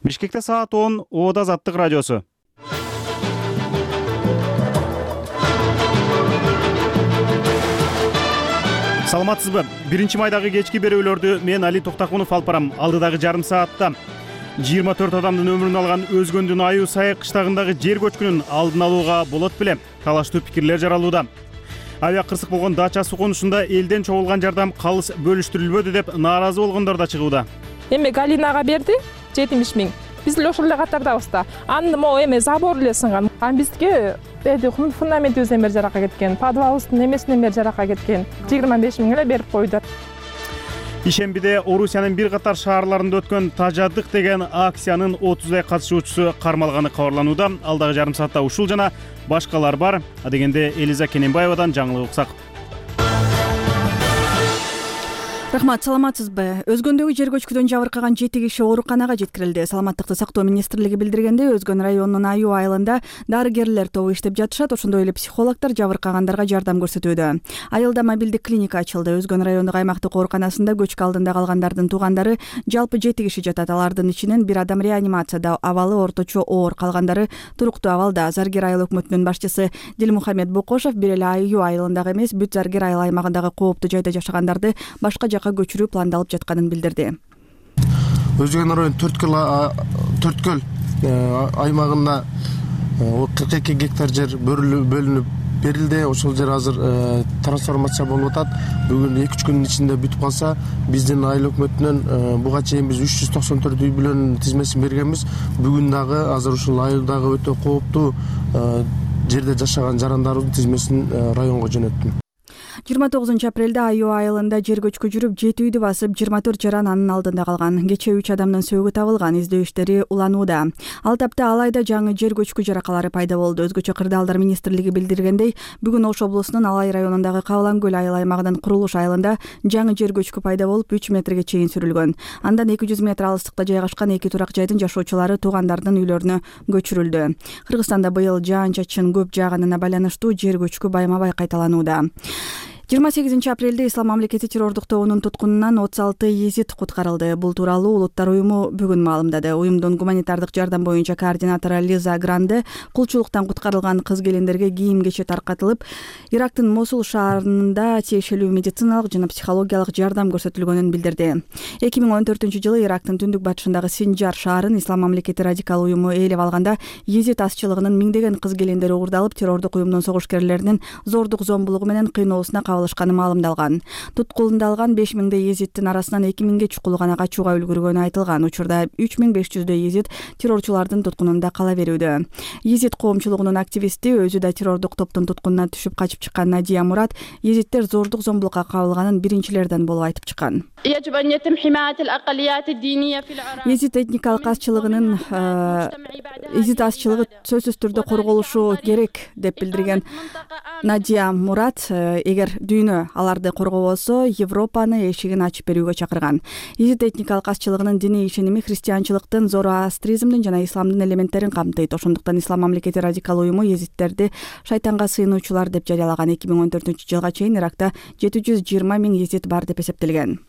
Бишкекте саат 10, Оода Азаттык радиосу. Саламатсызбы? 1-майдагы кечки берүүлөрдү мен Али Токтакунов алып барам. Алдыдагы жарым саатта 24 адамдын өмүрүн алган Өзгөндүн Айуу Сай кыштагындагы жер көчкүнүн алдын алууга болот беле? Талаштуу пикирлер жаралууда. Авиа кырсык болгон Дача суу конушунда элден чогулган жардам калыс бөлүштүрүлбөдү деп нааразы болгондор да чыгууда. Эми Галинага берди 70 000. Биз эле ошол эле катардабыз да. Аны могу эме забор эле сынган. Бизге фундаментибизден бери жаракка кеткен, подвалыбыздын эмесинен бери жаракка кеткен. 25 000 эле берип койду. Ишембиде Орусиянын бир катар шаарларында өткөн Тажадык деген акциянын 30дай катышуучусу кармалганы кабарланууда. Алдагы жарым саатта ушул жана башкалар бар. Адегенде Элиза Кененбаевадан жаңылык уксак. Рахмат, саламатсызбы? Өзгөндөгү жер көчкүдөн жабыркаган 7 киши ооруканага жеткирилди. Саламаттыкты сактоо министрлиги билдиргенде, Өзгөн районунун Айуу айылында дарыгерлер тобу иштеп жатышат. Ошондой эле психологдор жабыркагандарга жардам көрсөтүүдө. Айылда мобилдик клиника ачылды. Өзгөн райондук аймактык ооруканасында көчкү алдында калгандардын туугандары жалпы 7 киши жатат. Алардын ичинен бир адам реанимацияда, абалы орточо оор, калгандары туруктуу абалда. Заргер айыл өкмөтүнүн башчысы Дилмухамед Бокошов бир эле Айуу айылындагы эмес, бүт Заргер айыл аймагындагы кооптуу жайда жашагандарды башка жакка көчүрүү пландалып жатканын билдирди. Өзгөн районунун 4 көл аймагында 42 гектар жер бөлүнүп берилди. Ошол жер азыр трансформация болуп атат. Бүгүн 2-3 күндүн ичинде бүтүп калса, биздин айыл өкмөтүнөн буга чейин биз 394 үй бүлөнүн тизмесин бергенбиз. Бүгүн дагы азыр ушул айылдагы өтө кооптуу жерде жашаган жарандарыбыздын тизмесин районго жөнөттүм. 29 апрелде Айуу айылында жер көчкү жүрүп 7 үйдү басып 24 жаран анын алдында калган. Кечээ 3 адамдын сөөгү табылган. Издөө иштери уланууда. Ал тапта Алайда жаңы жер көчкү жаракалары пайда болду. Өзгөчө кырдаалдар министрлиги билдиргендей, бүгүн Ош облусунун Алай районундагы Кабылан көл айыл аймагынын курулуш айылында жаңы жер көчкү пайда болуп 3 метрге чейин сүрүлгөн. Андан 200 метр алыстыкта жайгашкан 2 турак жайдын жашоочулары туугандардын үйлөрүнө көчүрүлдү. Кыргызстанда быйыл жаан-чачын көп жааганына байланыштуу жер көчкү байма-бай кайталанууда. 28 апрелде Ислам мамлекети террордук тобунун туткунунан 36 езид куткарылды. Бул тууралуу Улуттар уюму бүгүн маалымдады. Уюмдун гуманитардык жардам боюнча координатору Лиза Гранде кулчулуктан куткарылган кыз-келиндерге кийим-кечек таркатылып, Ирактын Мосул шаарында тиешелүү медициналык жана психологиялык жардам көрсөтүлгөнүн билдирди. 2014-жылы Ирактын түндүк батышындагы Синжар шаарын Ислам мамлекети радикал уюму ээлеп алганда, езид азчылыгынын миңдеген кыз-келиндери уурдалып, террордук уюмдун согушкерлеринин зордук зомбулугу менен кыйноосуна кабылышканы маалымдалган. Туткулундалган 5000 езидтин арасынан 2000 чукулу гана качууга үлгүргөнү айтылган. Учурда 3500 езид террорчулардын туткунунда кала берүүдө. Езид коомчулугунун активисти, өзү да террордук топтун туткунуна түшүп качып чыккан Надия Мурат, езидтер зордук зомбулукка кабылганын биринчилерден болуп айтып чыккан. Езид этникалык азчылыгынын езид азчылыгы сөзсүз түрдө корголушу керек деп билдирген Надия Мурат, эгер дүйнө аларды коргобосо, Европаны эшигин ачып берүүгө чакырган. Езид этникалык азчылыгынын диний ишеними христианчылыктын, зороастризмдин жана исламдын элементтерин камтыйт. Ошондуктан Ислам мамлекети радикал уюму езидтерди шайтанга сыйынуучулар деп жарыялаган. 2014-жылга чейин Иракта 720 000 езид бар деп эсептелген.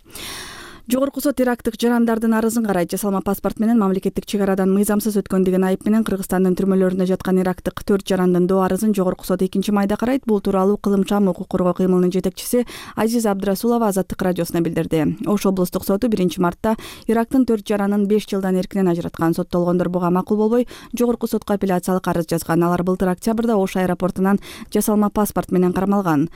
Жогорку сот ирактык жарандардын арызын карайт. Жасалма паспорт менен мамлекеттик чек арадан мыйзамсыз өткөн деген айып менен Кыргызстандын түрмөлөрүндө жаткан ирактык 4 жарандын доо арызын Жогорку сот 2-майда карайт. Бул тууралуу Кылымчам укук коргоо кыймылынын жетекчиси Азиз Абдрасулова Азаттык радиосуна билдирди. Ош облустук соту 1-мартта Ирактын 4 жаранын 5 жылдан эркинен ажыраткан. Соттолгондор буга макул болбой, Жогорку сотко апелляциялык арыз жазган. Алар былтыр октябрда Ош аэропортунан жасалма паспорт менен кармалган.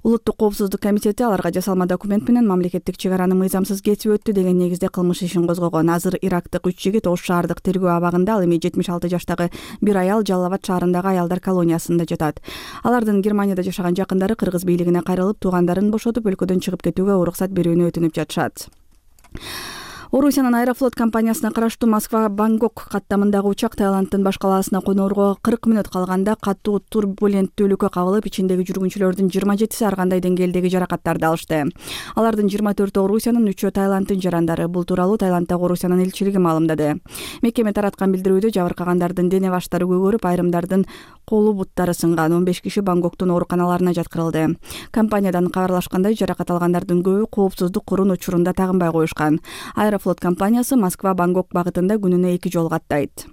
Улуттук коопсуздук комитети аларга жасалма документ менен мамлекеттик чек араны мыйзамсыз кесип өттү деген негизде кылмыш ишин козгогон. Азыр ирактык 3 жигит Ош шаардык тергөө абагында, ал эми 76 жаштагы бир аял Жалал-Абад шаарындагы аялдар колониясында жатат. Алардын Германияда жашаган жакындары кыргыз бийлигине кайрылып, туугандарын бошотуп, өлкөдөн чыгып кетүүгө уруксат берүүнү өтүнүп жатышат. Орусиянын Аэрофлот компаниясына караштуу Москва-Бангкок каттамындагы учак Таиланддын баш калаасына конорго 40 мүнөт калганда катуу турбуленттүүлүккө кабылып, ичиндеги жүргүнчүлөрдүн 27-си ар кандай деңгээлдеги жаракаттарды алышты. Алардын 24-өө Орусиянын, 3-өө Таиланддын жарандары. Бул тууралуу Таиланддагы Орусиянын элчилиги маалымдады. Мекеме тараткан билдирүүдө жабыркагандардын дене баштары көгөрүп, айрымдардын колу буттары сынган. 15 киши Бангкоктун ооруканаларына жаткырылды. Компаниядан кабарлашкандай, жаракат алгандардын көбү коопсуздук курун учурунда тагынбай коюшкан. Аэрофлот Аэрофлот компаниясы Москва-Бангкок багытында күнүнө 2 жолу каттайт.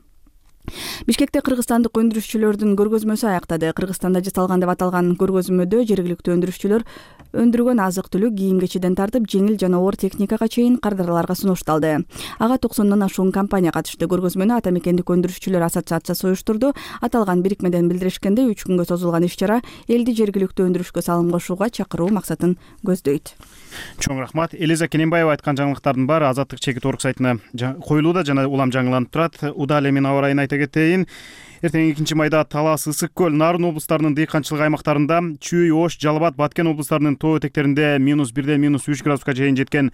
Бишкекте кыргызстандык өндүрүшчүлөрдүн көргөзмөсү аяктады. Кыргызстанда жасалган деп аталган көргөзмөдө жергиликтүү өндүрүшчүлөр өндүргөн азык-түлүк, кийим-кечиден тартып жеңил жана оор техникага чейин кардарларга сунушталды. Ага 90 ашуун компания катышты. Көргөзмөнү Ата мекендик өндүрүшчүлөр ассоциациясы уюштурду. Аталган бирикмеден билдиришкенде 3 күнгө созулган иш-чара элди жергиликтүү өндүрүшкө салым кошууга чакыруу максатын көздөйт. Чоң рахмат. Элиза Кененбаева айткан жаңылыктардын баары Азаттык чекит орг сайтына коюлууда жана улам жаңыланып турат. Удаа эле мен аба ырайын айта кетейин. Эртең 2 майда Талас, Ысык көл, Нарын облустарынын дыйканчылык аймактарында, Чүй, Ош, Жалал-Абад, Баткен облустарынын тоо этектеринде -1ден -3 градуска чейин жеткен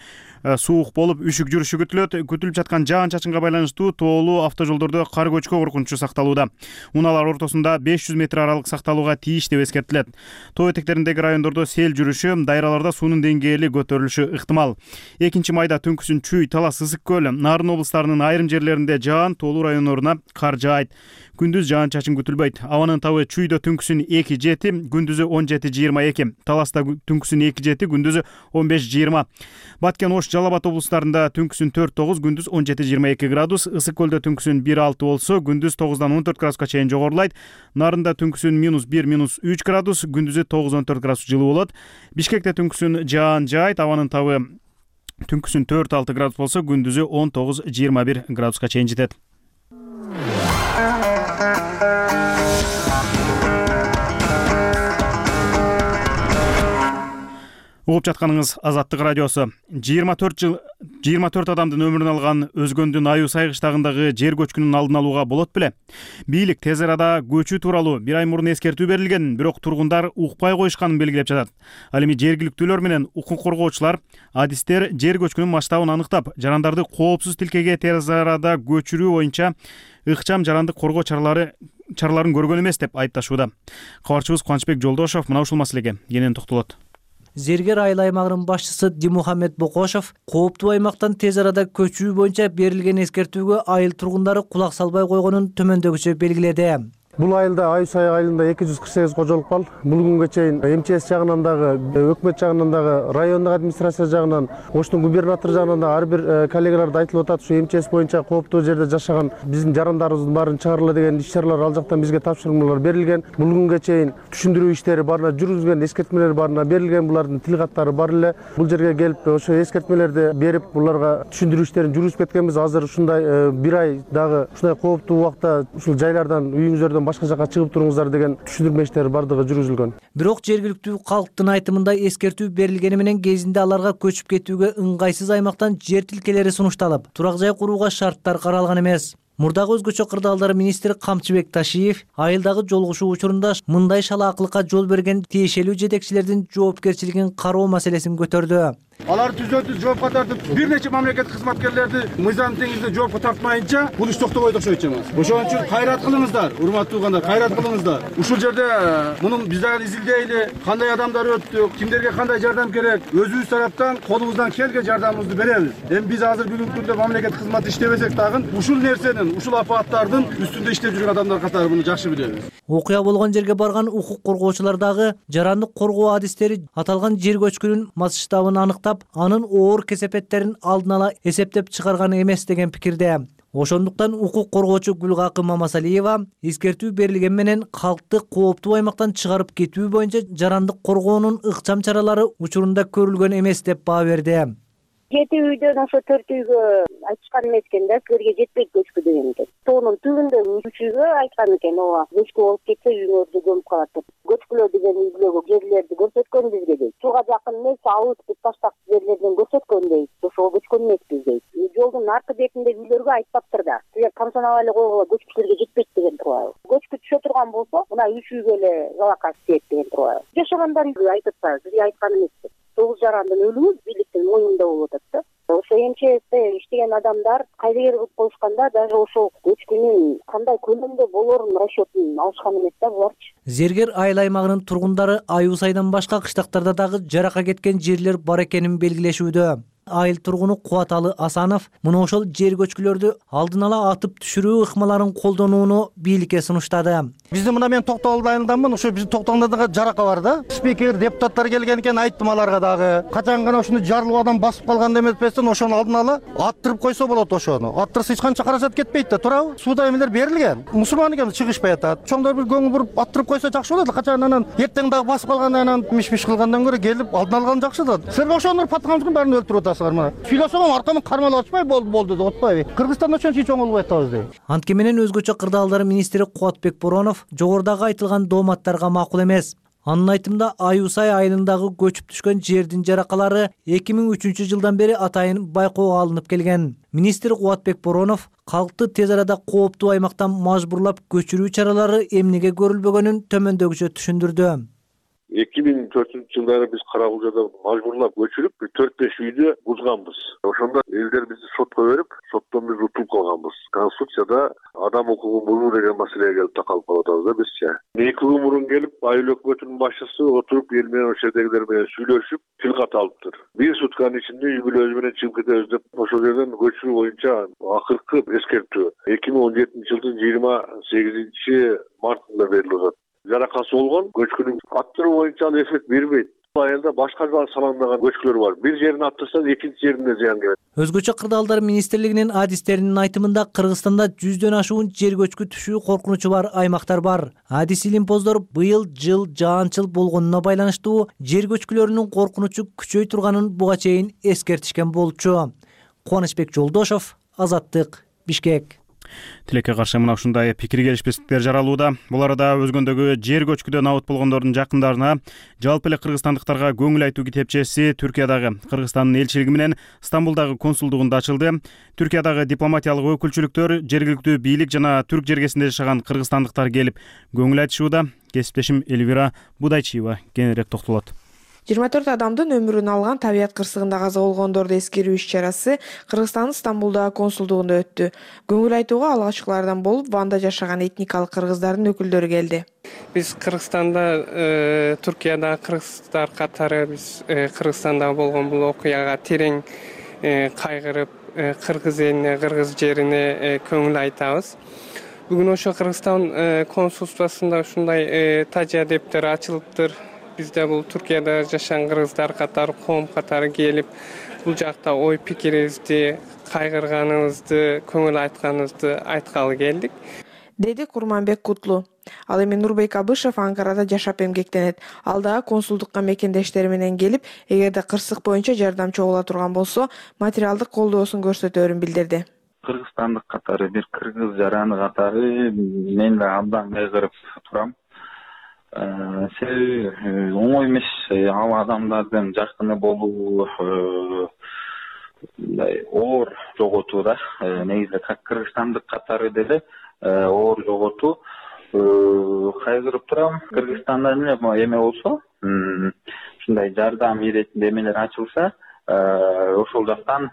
суук болуп, үшүк жүрүшү күтүлөт. Күтүлүп жаткан жаан-чачынга байланыштуу тоолуу автожолдордо кар көчкү коркунучу сакталууда. Унаалар ортосунда 500 метр аралык сакталууга тийиш деп эскертилет. Тоо этектериндеги райондордо сел жүрүшү, дайраларда суунун деңгээли көтөрүлүшү ыктымал. 2 майда түнкүсүн Чүй, Талас, Ысык көл, Нарын облустарынын айрым жерлеринде жаан, тоолуу райондоруна кар жаайт. Күндүз жаан-чачын күтүлбөйт. Абанын табы Чүйдө түнкүсүн 2-7, күндүзү 17-22. Таласта түнкүсүн 2-7, күндүзү 15-20. Баткен, Ош, Жалал-Абад облустарында түнкүсүн 4-9, күндүз 17-22 градус. Ысык көлдө түнкүсүн 1-6 болсо, күндүз 9-дан 14 градуска чейин жогорулайт. Нарында түнкүсүн -1, -3 градус, күндүзү 9-14 градус жылуу болот. Бишкекте түнкүсүн жаан жаайт. Абанын табы түнкүсүн 4-6 градус болсо, күндүзү 19-21 градуска чейин жетет. Угуп жатканыңыз Азаттык радиосу. 24 адамдын өмүрүн алган Өзгөндүн Аюу Сай кыштагындагы жер көчкүнүн алдын алууга болот беле? Бийлик тез арада көчүү тууралуу 1 ай мурун эскертүү берилген, бирок тургундар укпай коюшканын белгилеп жатат. Ал эми жергиликтүүлөр менен укук коргоочулар, адистер жер көчкүнүн масштабын аныктап, жарандарды коопсуз тилкеге тез арада көчүрүү боюнча ыкчам жарандык коргоо чараларын көргөн эмес деп айыпташууда. Кабарчыбыз Кубанычбек Жолдошов мына ушул маселеге кенен токтолот. Зергер айыл аймагынын башчысы Димухаммед Бокошов кооптуу аймактан тез арада көчүү боюнча берилген эскертүүгө айыл тургундары кулак салбай койгонун төмөндөгүчө белгиледи. Бул айылда Аюу Сай айылында 248 кожолук бар. Бул күнгө чейин МЧС жагынан дагы, өкмөт жагынан дагы, райондук администрация жагынан, Оштун губернатор жагынан да ар бир коллегаларда айтылып атат, ушу МЧС боюнча кооптуу жерде жашаган биздин жарандарыбыздын баарын чыгарыла деген иш-чаралар ал жактан бизге тапшырмалар берилген. Бул күнгө чейин түшүндүрүү иштери баарына жүргүзүлгөн, эскертмелер баарына берилген, булардын тил каттары бар эле. Бул жерге келип ошо эскертмелерди берип, буларга түшүндүрүү иштерин жүргүзүп кеткенбиз. Азыр ушундай 1 ай дагы ушундай кооптуу убакта ушул жайлардан, үйүңүздөрдөн башка жака чыгып туруңуздар деген түшүндүрмө иштери бардыгы жүргүзүлгөн. Бирок жергиликтүү калктын айтымында эскертүү берилгени менен кезинде аларга көчүп кетүүгө ыңгайсыз аймактан жер тилкелери сунушталып, турак жай курууга шарттар каралган эмес. Мурдагы өзгөчө кырдаалдар министри Камчыбек Ташиев айылдагы жолугушуу учурунда мындай шалаакылыкка жол берген тиешелүү жетекчилердин жоопкерчилигин кароо маселесин көтөрдү. Алар түздөн-түз жоопко тартып, бир нече мамлекеттик кызматкерлерди мыйзам теңизде жоопко тартмайынча бул иш токтобойт окшойт эмес. Ошон үчүн кайрат кылыңыздар, урматтуу туугандар, кайрат кылыңыздар. Ушул жерде мунун биз дагы изилдейли, кандай адамдар өттү, кимдерге кандай жардам керек, өзүбүз тараптан колубуздан келген жардамыбызды беребиз. Эми биз азыр бүгүнкү күндө мамлекеттик кызмат иштебесек дагы ушул нерсенин, ушул апаттардын үстүндө иштеп жүргөн адамдар катары муну жакшы билебиз. Окуя болгон жерге барган укук коргоочулар дагы жарандык коргоо адистери аталган жер көчкүнүн масштабын аныктап, анын оор кесепеттерин алдын ала эсептеп чыгарган эмес деген пикирде. Ошондуктан укук коргоочу Гүлгакы Мамасалиева эскертүү берилген менен калкты кооптуу аймактан чыгарып кетүү боюнча жарандык коргоонун ыкчам чаралары учурунда көрүлгөн эмес деп баа берди. 7 үйдөн ошо 4 үйгө айтышкан эмес экен да, силерге жетпейт көчкү деген экен. Тоонун түбүндөгү 3 үйгө айткан экен, ооба, көчкү болуп кетсе үйүңөрдү көмүп калат деп. Көчкүлөр деген үйлөргө жерлерди көрсөткөн бизге дейт. Сууга жакын эмес, алыс деп таштак жерлерден көрсөткөн дейт. Ошого көчкөн эмеспиз дейт. Жолдун аркы бетиндеги үйлөргө айтпаптыр да. Силер камсанабай эле койгула, көчкү силерге жетпейт деген тургай. Көчкү түшө турган болсо, мына 3 үйгө эле жалакай тиет деген тургай. Жашагандар айтып атпайбы, бизге айткан эмеспиз. 9 жарандын өлүмү бийликтин моюнунда болуп атат да. Ошо МЧСте иштеген адамдар кайдыгер кылып коюшканда даже ошол көчкүнүн кандай көлөмдө болорун расчетун алышкан эмес да буларчы. Зергер айыл аймагынын тургундары Аюу Сайдан башка кыштактарда дагы жарака кеткен жерлер бар экенин белгилешүүдө. айыл тургуну Кубаталы Асанов мына ошол жер көчкүлөрдү алдын ала атып түшүрүү ыкмаларын колдонууну бийликке сунуштады. Бизди мына мен Токтогул айылынданмын. Ошо биздин Токтогулдагы жарака бар да. Спикер, депутаттар келген экен, айттым аларга дагы. Качан гана ушуну жарлуу адам басып калган эмеспестен ошону алдын ала аттырып койсо болот ошону. Аттырса эч канча каражат кетпейт да, туурабы? Суда эмелер берилген. Мусулман экен чыгышпай атат. Чоңдор бир көңүл буруп аттырып койсо жакшы болот. Качан анан эртең дагы басып калгандан анан миш-миш кылгандан көрө келип алдын алган жакшы да. Силер ошонун паткамыздын баарын өлтүрүп атасыңар мына. Сүйлөсөм аркаман кармалып атышпай болду деп атпайбы? Кыргызстанда ошончо чоң болбой атабыз дейт. Антке менен өзгөчө кырдаалдар министри Кубатбек Боронов жогорудагы айтылган дооматтарга макул эмес. Анын айтымында Аюсай айылындагы көчүп түшкөн жердин жаракалары 2003-жылдан бери атайын байкоого алынып келген. Министр Кубатбек Боронов калкты тез арада кооптуу аймактан мажбурлап көчүрүү чаралары эмнеге көрүлбөгөнүн төмөндөгүчө түшүндүрдү. 2004-жылдары биз Каракулжада мажбурлап көчүрүп 4-5 үйдү бузганбыз. Ошондо элдер бизди сотко берип, соттон биз утулуп калганбыз. Конституцияда адам укугун бузуу деген маселеге келип такалып калып атабыз да бизчи. 2 күн мурун келип айыл өкмөтүнүн башчысы отуруп эл менен ошол жердегилер менен сүйлөшүп, тил ката алыптыр. 1 сутканын ичинде үй бүлөбүз менен чыгып кетебиз деп ошол жерден көчүрүү боюнча акыркы эскертүү 2017-жылдын 28 мартында берилип атат. Жаракасы болгон көчкүнүн аттыруу боюнча ал эффект бербейт. Айылда башка салгандаган көчкүлөр бар. Бир жерин аттырса, экинчи жерине зыян келет. Өзгөчө кырдаалдар министрлигинин адистеринин айтымында Кыргызстанда 100дөн ашуун жер көчкү түшүү коркунучу бар аймактар бар. Адис илимпоздор быйыл жыл жаан-чыл болгонуна байланыштуу жер көчкүлөрүнүн коркунучу күчөй турганын буга чейин эскертишкен болчу. Кубанычбек Жолдошов, Азаттык, Бишкек. Тилекке каршы мына ушундай пикир келишпестиктер жаралууда. Бул арада өзгөндөгү жер көчкүдөн абут болгондордун жакындарына жалпы эле кыргызстандыктарга көңүл айтуу китепчеси Түркиядагы Кыргызстандын элчилиги менен Стамбулдагы консулдугунда ачылды. Түркиядагы дипломатиялык өкүлчүлүктөр, жергиликтүү бийлик жана түрк жергесинде жашаган кыргызстандыктар келип көңүл айтышууда. Кесиптешим Элвира Будайчиева кененирээк токтолот. 24 адамдын өмүрүн алган табият кырсыгында каза болгондорду эскерүү иш-чарасы Кыргызстандын Стамбулдагы консулдугунда өттү. Көңүл айтууга алгачкылардан болуп Ванда жашаган этникалык кыргыздардын өкүлдөрү келди. Биз Кыргызстанда, Түркиядагы кыргыздар катары биз Кыргызстанда болгон бул окуяга терең кайгырып, кыргыз элине, кыргыз жерине көңүл айтабыз. Бүгүн ошо Кыргызстан консулствосунда ушундай тажия дептер ачылыптыр. Бизде бул Түркияда жашаган кыргыздар катары, коом катары келип, бул жакта ой пикирибизди, кайгырганыбызды, көңүл айтканыбызды айткалы келдик, деди Курманбек Кутлу. Ал эми Нурбек Абышев Анкарада жашап эмгектенет. Ал дагы консулдукка мекендештери менен келип, эгерде кырсык боюнча жардамчы боло турган болсо, материалдык колдоосун көрсөтөөрүн билдирди. Кыргызстандык катары, бир кыргыз жараны катары мен да абдан кайгырып турам. Себеби оңой эмес ал адамдардын жакыны болуу, оор жоготуу да. Негизи кыргызстандык катары деле оор жоготуу. Кайгырып турам. Кыргызстанда эме болсо, ушундай жардам иретинде эмелер ачылса, ошол жактан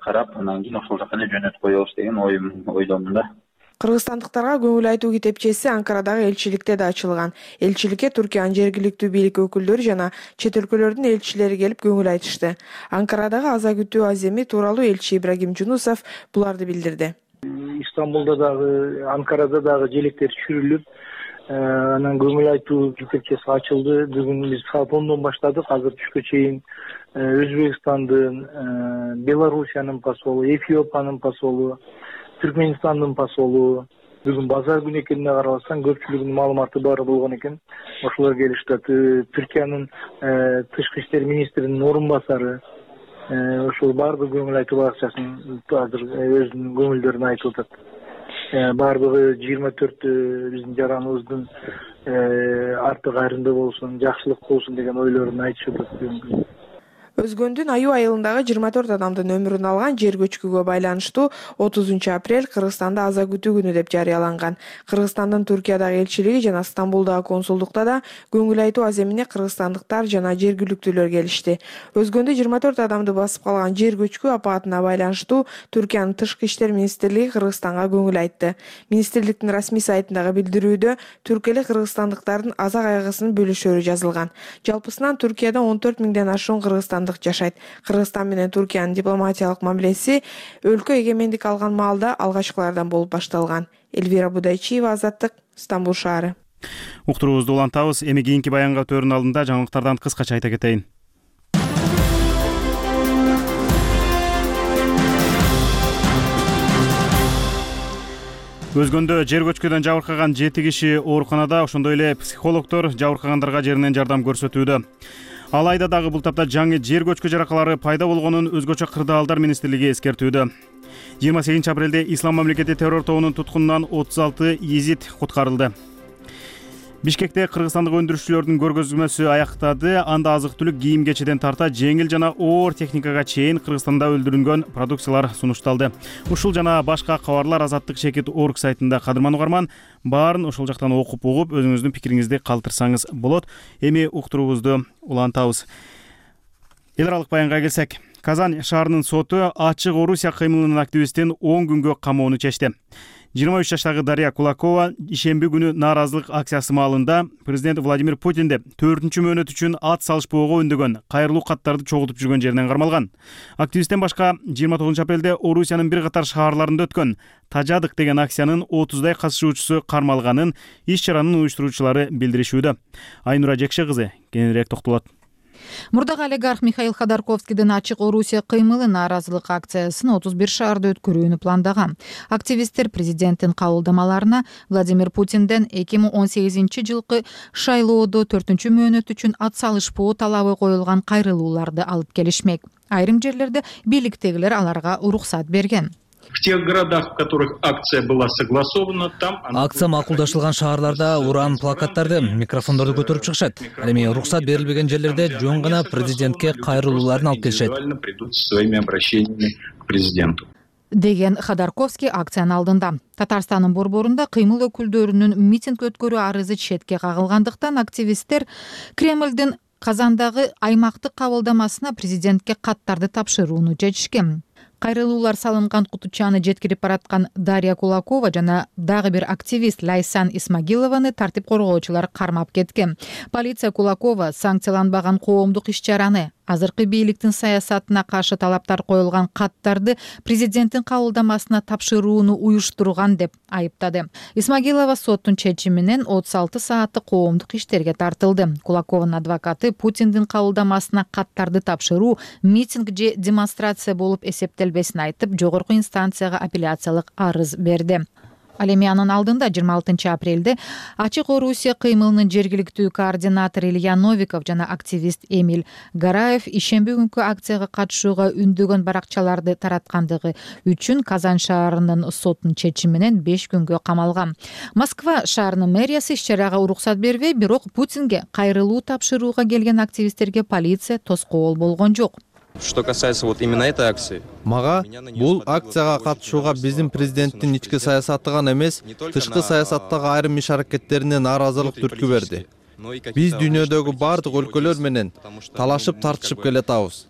карап, анан кийин ошол жака эле жөнөтүп коебуз деген ойдомун да. Кыргызстандыктарга көңүл айтуу китепчеси Анкарадагы элчиликте да ачылган. Элчиликке Түркиянын жергиликтүү бийлик өкүлдөрү жана чет өлкөлөрдүн элчилери келип көңүл айтышты. Анкарадагы аза күтүү аземи тууралуу элчи Ибрагим Жунусов буларды билдирди. Стамбулда дагы, Анкарада дагы желектер түшүрүлүп, анан көңүл айтуу китепчеси ачылды. Бүгүн биз саат 10дон баштадык. Азыр түшкө чейин Өзбекстандын, Белоруссиянын посолу, Эфиопиянын посолу, Түркмөнстандын посолу, бүгүн базар күнү экенине карабастан көпчүлүгүнүн маалыматы бар болгон экен. Ошолор келишти. Түркиянын тышкы иштер министринин орун басары, ошол баардык көңүл айтуу акчасын азыр өзүнүн көңүлдөрүн айтып атат. Баардыгы 24 биздин жараныбыздын арты кайрымда болсун, жакшылык болсун деген ойлорун айтышып атат. Өзгөндүн Аюу айылындагы 24 адамдын өмүрүн алган жер көчкүгө байланыштуу 30 апрель Кыргызстанда аза күтүү күнү деп жарыяланган. Кыргызстандын Түркиядагы элчилиги жана Стамбулдагы консулдукта да көңүл айтуу аземине кыргызстандыктар жана жергиликтүүлөр келишти. Өзгөндө 24 адамды басып калган жер көчкү апатына байланыштуу Түркиянын тышкы иштер министрлиги Кыргызстанга көңүл айтты. Министрликтин расмий сайтындагы билдирүүдө түрк эли кыргызстандыктардын аза кайгысын бөлүшөрү жазылган. Жалпысынан Түркияда 14 миңден ашуун кыргызстандык башкандык жашайт. Кыргызстан менен Туркиянын дипломатиялык мамилеси өлкө эгемендик алган маалда алгачкылардан болуп башталган. Эльвира Будайчиева, Азаттык, Стамбул шаары. Уктуруубузду улантабыз. Эми кийинки баянга өтөөрүнүн алдында жаңылыктардан кыскача айта кетейин. Өзгөндө жер көчкүдөн жабыркаган 7 киши ооруканада, ошондой эле психологдор жабыркагандарга жеринен жардам көрсөтүүдө. Алайда дагы бул тапта жаңы жер көчкү жаракалары пайда болгонун өзгөчө кырдаалдар министрлиги эскертүүдө. 28 апрелде Ислам мамлекети террор тобунун туткунунан 36 езид куткарылды. Бишкекте кыргызстандык өндүрүшчүлөрдүн көргөзмөсү аяктады. Анда азык-түлүк, кийим-кечеден тарта жеңил жана оор техникага чейин Кыргызстанда өндүрүлгөн продукциялар сунушталды. Ушул жана башка кабарлар Азаттык Шекит орг сайтында. Кадырман угарман, баарын ошол жактан окуп угуп, өзүңүздүн пикириңизди калтырсаңыз болот. Эми уктуруубузду улантабыз. Эл аралык баянга келсек, Казань шаарынын соту Ачык Орусия кыймылынын активистин 10 күнгө камоону чечти. 23 жаштагы Дарья Кулакова ишемби күнү нааразылык акциясы маалында президент Владимир Путинди 4-чү мөөнөт үчүн ат салышпоого үндөгөн кайрылуу каттарды чогултуп жүргөн жеринен кармалган. Активисттен башка 29 апрелде Орусиянын бир катар шаарларында өткөн Тажадык деген акциянын 30дай катышуучусу кармалганын иш-чаранын уюштуруучулары билдиришүүдө. Айнура Жекше кызы кененирээк токтолот. Мурдагы олигарх Михаил Ходорковскийдин Ачык Орусия кыймылы нааразылык акциясын 31 шаарда өткөрүүнү пландаган. Активисттер президенттин кабылдамаларына Владимир Путинден 2018-жылкы шайлоодо 4-чү мөөнөт үчүн ат салышпоо талабы коюлган кайрылууларды алып келишмек. Айрым жерлерде бийликтегилер аларга уруксат берген. В тех городах, в которых акция была согласована, там... Акция макулдашылган шаарларда уран плакаттарды, микрофондорду көтөрүп чыгышат. Ал эми уруксат берилбеген жерлерде жөн гана президентке кайрылууларын алып келишет. Придут со своими обращениями к президенту. Деген Ходорковский акциянын алдында. Татарстандын борборунда кыймыл өкүлдөрүнүн митинг өткөрүү арызы четке кагылгандыктан активисттер Кремлдин Казандагы аймактык кабылдамасына президентке каттарды тапшырууну чечишкен. Кайрылуулар салынган кутучаны жеткирип бараткан Дарья Кулакова жана дагы бир активист Лайсан Исмагилованы тартип коргоочулар кармап кеткен. Полиция Кулакова санкцияланбаган коомдук иш-чараны, азыркы бийликтин саясатына каршы талаптар коюлган каттарды президенттин кабылдамасына тапшырууну уюштурган деп айыптады. Исмагилова соттун чечиминен 36 сааттык коомдук иштерге тартылды. Кулакованын адвокаты Путиндин кабылдамасына каттарды тапшыруу митинг же демонстрация болуп эсептелбесин айтып, жогорку инстанцияга апелляциялык арыз берди. Ал эми анын алдында 26 апрелде Ачык Орусия кыймылынын жергиликтүү координатору Илья Новиков жана активист Эмиль Гараев ишемби күнкү акцияга катышууга үндөгөн баракчаларды тараткандыгы үчүн Казань шаарынын сотунун чечиминен 5 күнгө камалган. Москва шаарынын мэриясы иш-чарага уруксат бербей, бирок Путинге кайрылуу тапшырууга келген активисттерге полиция тоскоол болгон жок. Что касается вот именно этой акции. Мага бул акцияга катышууга биздин президенттин ички саясаты гана эмес, тышкы саясаттагы айрым иш-аракеттерине нааразылык түрткү берди. Биз дүйнөдөгү бардык өлкөлөр менен талашып тартышып келатабыз.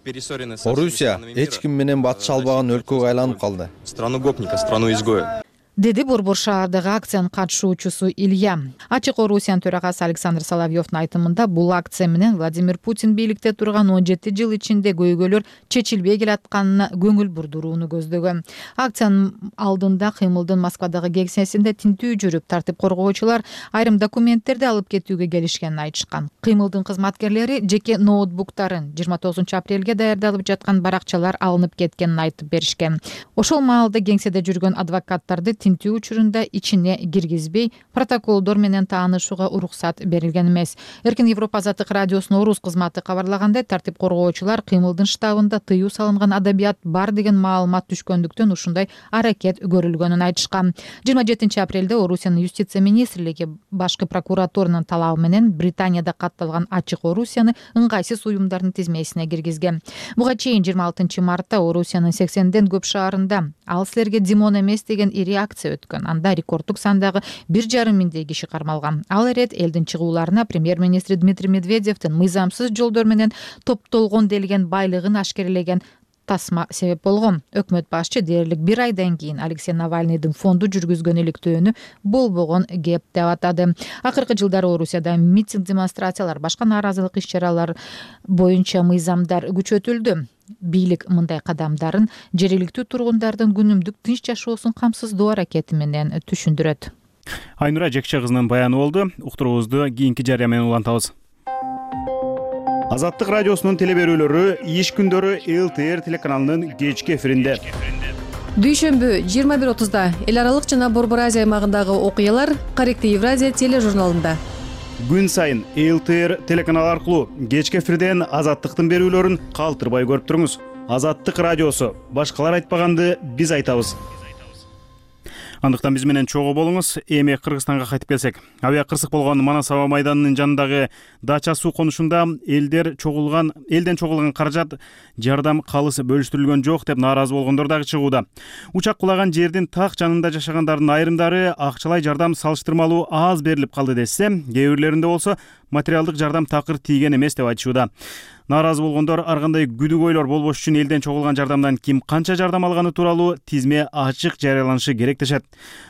Орусия эч ким менен батыша албаган өлкөгө айланып калды. Страну гопника, страну изгоя. Деди борбор шаардагы акциянын катышуучусу Илья. Ачык Орусиянын төрагасы Александр Соловьевдун айтымында бул акция менен Владимир Путин бийликте турган 17 жыл ичинде көйгөйлөр чечилбей келатканына көңүл бурдурууну көздөгөн. Акциянын алдында кыймылдын Москвадагы кеңсесинде тинтүү жүрүп, тартип коргоочулар айрым документтерди алып кетүүгө келишкенин айтышкан. Кыймылдын кызматкерлери жеке ноутбуктарын 29 апрелге даярдалып жаткан баракчалар алынып кеткенин айтып беришкен. Ошол маалда кеңседе жүргөн адвокаттарды тинтүү учурунда ичине киргизбей, протоколдор менен таанышууга уруксат берилген эмес. Эркин Европа Азаттык радиосунун орус кызматы кабарлагандай, тартип коргоочулар кыймылдын штабында тыюу салынган адабият бар деген маалымат түшкөндүктөн ушундай аракет көрүлгөнүн айтышкан. 27 апрелде Орусиянын юстиция министрлиги башкы прокуратуранын талабы менен Британияда катталган Ачык Орусияны ыңгайсыз уюмдардын тизмесине киргизген. Буга чейин 26 мартта Орусиянын 80ден көп шаарында "Ал силерге Димон эмес" деген ири акция өткөн. Анда рекордтук сандагы 1,5 миңдей киши кармалган. Ал эрет элдин чыгууларына премьер-министр Дмитрий Медведевдин мыйзамсыз жолдор менен топтолгон делген байлыгын ашкерелеген тасма себеп болгон. Өкмөт башчы дээрлик 1 айдан кийин Алексей Навальныйдын фонду жүргүзгөн иликтөөнү болбогон кеп деп атады. Акыркы жылдары Орусияда митинг, демонстрациялар, башка нааразылык иш-чаралар боюнча мыйзамдар күчөтүлдү. Бийлик мындай кадамдарын жергиликтүү тургундардын күнүмдүк тынч жашоосун камсыздоо аракети менен түшүндүрөт. Айнура Жекче кызынын баяны болду. Уктуруубузду кийинки жарыя менен улантабыз. Азаттык радиосунун телеберүүлөрү иш күндөрү ЛТР телеканалынын кечки эфиринде. Дүйшөмбү 21:30 эл аралык жана Борбор Азия аймагындагы окуялар Корректив Евразия тележурналында. Күн сайын ЛТР телеканалы аркылуу кечки эфирден Азаттыктын берүүлөрүн калтырбай көрүп туруңуз. Азаттык радиосу. Башкалар айтпаганды биз айтабыз. Андыктан биз менен чогуу болуңуз. Эми Кыргызстанга кайтып келсек, авиа кырсык болгон Манас аба майданынын жанындагы Дача суу конушунда элден чогулган каражат жардам калысы бөлүштүрүлгөн жок деп нааразы болгондор дагы чыгууда. Учак кулаган жердин так жанында жашагандардын айрымдары акчалай жардам салыштырмалуу аз берилип калды десе, кээ бирлеринде болсо материалдык жардам такыр тийген эмес деп айтышууда. Нааразы болгондор ар кандай күдүк ойлор болбош үчүн элден чогулган жардамдан ким канча жардам алганы тууралуу тизме ачык жарыяланышы керек дешет.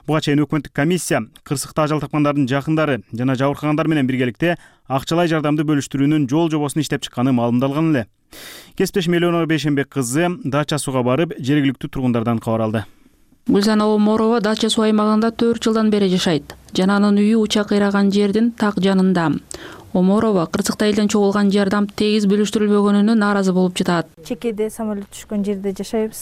Буга чейин өкмөттүк комиссия кырсыкта ажал тапкандардын жакындары жана жабыркагандар менен биргеликте акчалай жардамды бөлүштүрүүнүн жол жобосун иштеп чыкканы маалымдалган эле. Кесиптешим Элеонора Бейшенбек кызы Дача сууга барып, жергиликтүү тургундардан кабар алды. Гүлзана Оморова Дача суу аймагында 4 жылдан бери жашайт. Жана анын үйү учак кыйраган жердин так жанында. Оморова кырсыкта элден чогулган жардам тегиз бөлүштүрүлбөгөнүнө нааразы болуп жатат. Чекеде самолет түшкөн жерде жашайбыз.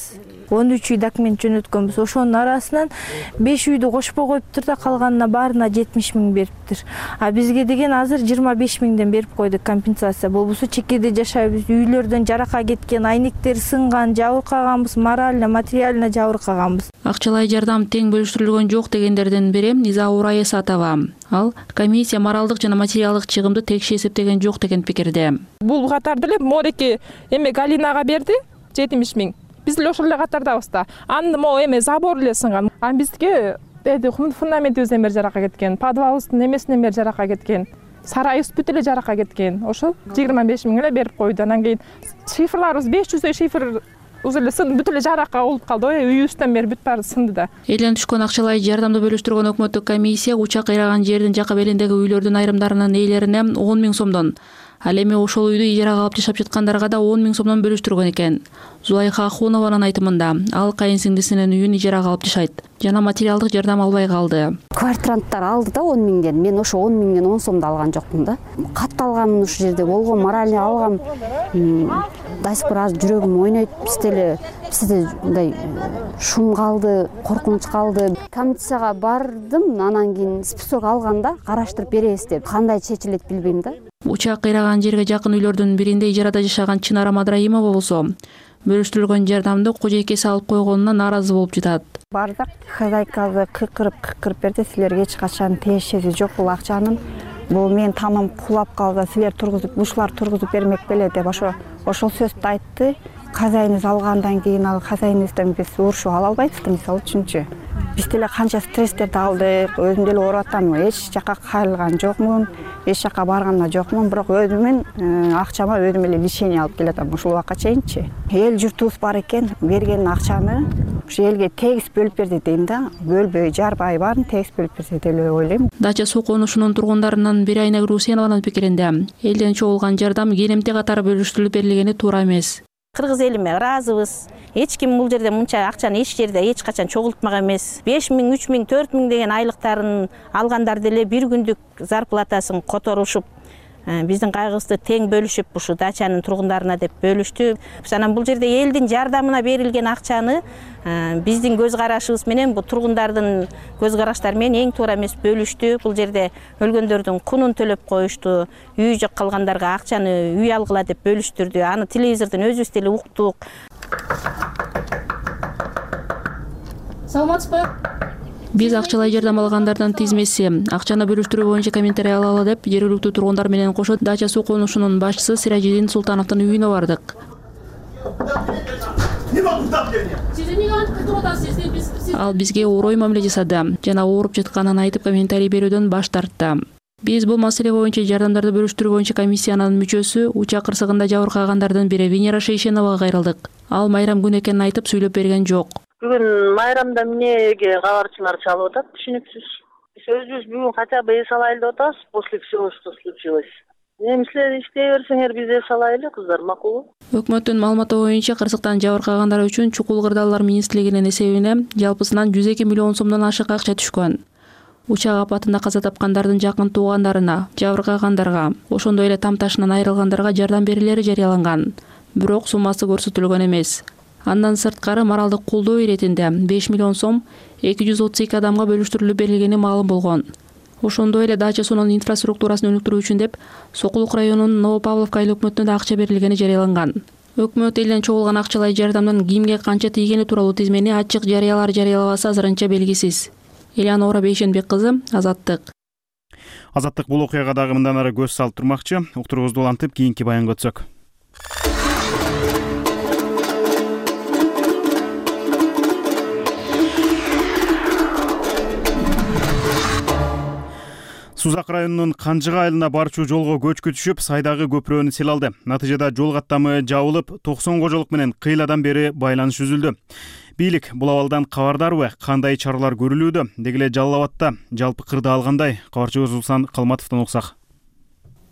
13 үй документ жөнөткөнбүз. Ошонун арасынан 5 үйдү кошпой коюптур да калганына баарына 70 000 бериптир. А бизге деген азыр 25 000ден берип койдук компенсация. Болбосо чекеде жашайбыз. Үйлөрдөн жарака кеткен, айнектер сынган, жабыркаганбыз, морально, материально жабыркаганбыз. Акчалай жардам тең бөлүштүрүлгөн жок дегендердин бири Низа Ураесатова. Ал комиссия моралдык жана материалдык чыгымды текши эсептеген жок деген пикирде. Бул катарды эле Мореке эме Галинага берди 70 000. Биз эле ошол эле катардабыз да. Анын могу эме забор эле сынган. А бизге фундаментибизден бери жарака кеткен, подвалыбыздын эмесинен бери жарака кеткен. Сарайыбыз бүт эле жарака кеткен. Ошол 25 000 эле берип койду. Анан кийин шифрларыбыз 500 шифр бүт эле жарака болуп калды. Үйүбүздөн бери бүт баары сынды да. Элден түшкөн акчалай жардамды бөлүштүргөн өкмөттүк комиссия учак кыйраган жердин жакы белиндеги үйлөрдүн айрымдарынын ээлерине 10 000 сомдон, ал эми ошол үйдү ижарага алып жашап жаткандарга да 10 000 сомдон бөлүштүргөн экен. Зулайха Ахунованын айтымында ал кайын сиңдисинин үйүн ижарага алып жашайт жана материалдык жардам албай калды. Квартиранттар алды да 10 000ден. Мен ошо 10 000ден 10 сомду алган жокмун да. Катталганмын ушул жерде болгон, морально алгам. До сих пор азыр жүрөгүм ойнойт. Бизде мындай шум калды, коркунуч калды. Комиссияга бардым, анан кийин список алганда караштырып беребиз деп. Кандай чечилет билбейм да. Учак кыйраган жерге жакын үйлөрдүн биринде ижарада жашаган Чынара Мадраимова болсо, бөлүштүрүлгөн жардамды кожойкеси алып койгонуна нааразы болуп жатат. Бардык хозяйкабы кыкырып берди. Силерге эч качан тиешеси жок бул акчанын. Бул мен тамам кулап калды. Силер ушулар тургузуп бермек беле деп ошол сөздү айтты. Хозяйныбыз алгандан кийин ал хозяйныбыздан биз урушуп ала албайбыз да, мисалы үчүнчү. Биз деле канча стресстерди алдык, өзүм деле ооруп атам, эч жака кайрылган жокмун, эч жака барган жокмун, бирок өзүмүн акчама өзүм эле лишение алып келатам ушул убакка чейинчи. Эл журтубуз бар экен, берген акчаны ушу элге тегиз бөлүп берди дейм да, бөлбөй жарбай баарын тегиз бөлүп берсе деп ойлойм. Дача суу конушунун тургундарынын бири Айнагүл Усенованын пикиринде элден чогулган жардам келемте катары бөлүштүрүлүп берилгени туура эмес. Кыргыз элиме ыраазыбыз. Эч ким бул жерде мынча акчаны эч жерде эч качан чогултмаган эмес. 5 000, 3 000, 4 000 деген айлыктарын алгандар деле бир күндүк зарплатасын которушуп, биздин кайгыбызды тең бөлүшүп, ушу дачанын тургундарына деп бөлүштү. Анан бул жерде элдин жардамына берилген акчаны биздин көз карашыбыз менен, бул тургундардын көз караштары менен эң туура эмес бөлүштү. Бул жерде өлгөндөрдүн кунун төлөп коюшту, үйү жок калгандарга акчаны үй алгыла деп бөлүштүрдү. Аны телевизордон өзүбүз деле уктук. Саламатсызбы? Биз акчалай жардам алгандардан тизмеси, акчаны бөлүштүрүү боюнча комментарий алалы деп жергиликтүү тургундар менен кошо Дача суу конушунун башчысы Сиражидин Султановдун үйүнө бардык. Ал бизге орой мамиле жасады жана ооруп жатканын айтып комментарий берүүдөн баш тартты. Биз бул маселе боюнча жардамдарды бөлүштүрүү боюнча комиссиянын мүчөсү учак кырсыгында жабыркагандардын бири Венера Шейшеновага кайрылдык. Ал майрам күнү экенин айтып сүйлөп берген жок. Бүгүн майрамда эмнеге кабарчылар чалып атат, түшүнүксүз. Биз өзүбүз бүгүн хотя бы эс алайлы деп атабыз после всего, что случилось. Эми силер иштей берсеңер биз эс алайлы, кыздар, макулбу? Өкмөттүн маалыматы боюнча кырсыктан жабыркагандар үчүн Чукул Кырдаалдар министрлигинин эсебине жалпысынан 102 миллион сомдон ашык акча түшкөн. Учак апатында каза тапкандардын жакын туугандарына, жабыркагандарга, ошондой эле там ташынан айрылгандарга жардам берилери жарыяланган. Бирок суммасы көрсөтүлгөн эмес. Андан сырткары моралдык колдоо иретинде 5 миллион сом 232 адамга бөлүштүрүлүп берилгени маалым болгон. Ошондой эле дача суунун инфраструктурасын өнүктүрүү үчүн деп Сокулук районунун Новопавловка айыл өкмөтүнө да акча берилгени жарыяланган. Өкмөт элден чогулган акчалай жардамдын кимге канча тийгени тууралуу тизмени ачык жарыялабасы азырынча белгисиз. Элеонора Бейшенбек кызы, Азаттык. Азаттык бул окуяга дагы мындан ары көз салып турмакчы. Уктуруубузду улантып, кийинки баянга өтсөк. Сузак районунун Канжыга айылына барчу жолго көчкү түшүп, сайдагы көпүрөнү сел алды. Натыйжада жол каттамы жабылып, 90 кожолук менен кыйладан бери байланыш үзүлдү. Бийлик бул абалдан кабардарбы, кандай чаралар көрүлүүдө? Деги эле Жалал Абадта жалпы кырдаал кандай? Кабарчыбыз Улсан Калматовдон уксак.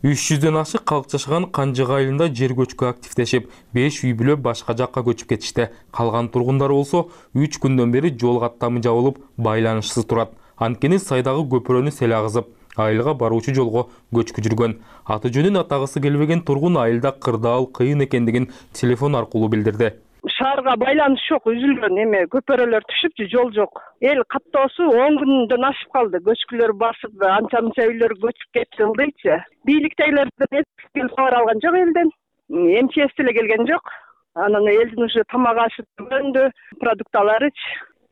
300дөн ашык калк жашаган Канжыга айылында жер көчкү активдешип, 5 үй бүлө башка жакка көчүп кетишти. Калган тургундар болсо 3 күндөн бери жол каттамы жабылып, байланышсыз турат. Анткени сайдагы көпүрөнү сел агызып, айылга баруучу жолго көчкү жүргөн. Аты жөнүн атагысы келбеген тургун айылда кырдаал кыйын экендигин телефон аркылуу билдирди. Шаарга байланыш жок, үзүлгөн, эме көпөрөлөр түшүп, жол жок. Эл каттоосу 10 күндөн ашып калды. Көчкүлөр басып, анча-мынча үйлөр көчүп кетти ылдыйчы. Бийликтегилерден кабар алган жок элден. МЧС деле келген жок. Анан элдин уже тамак ашы өнүндү, продукталарыч.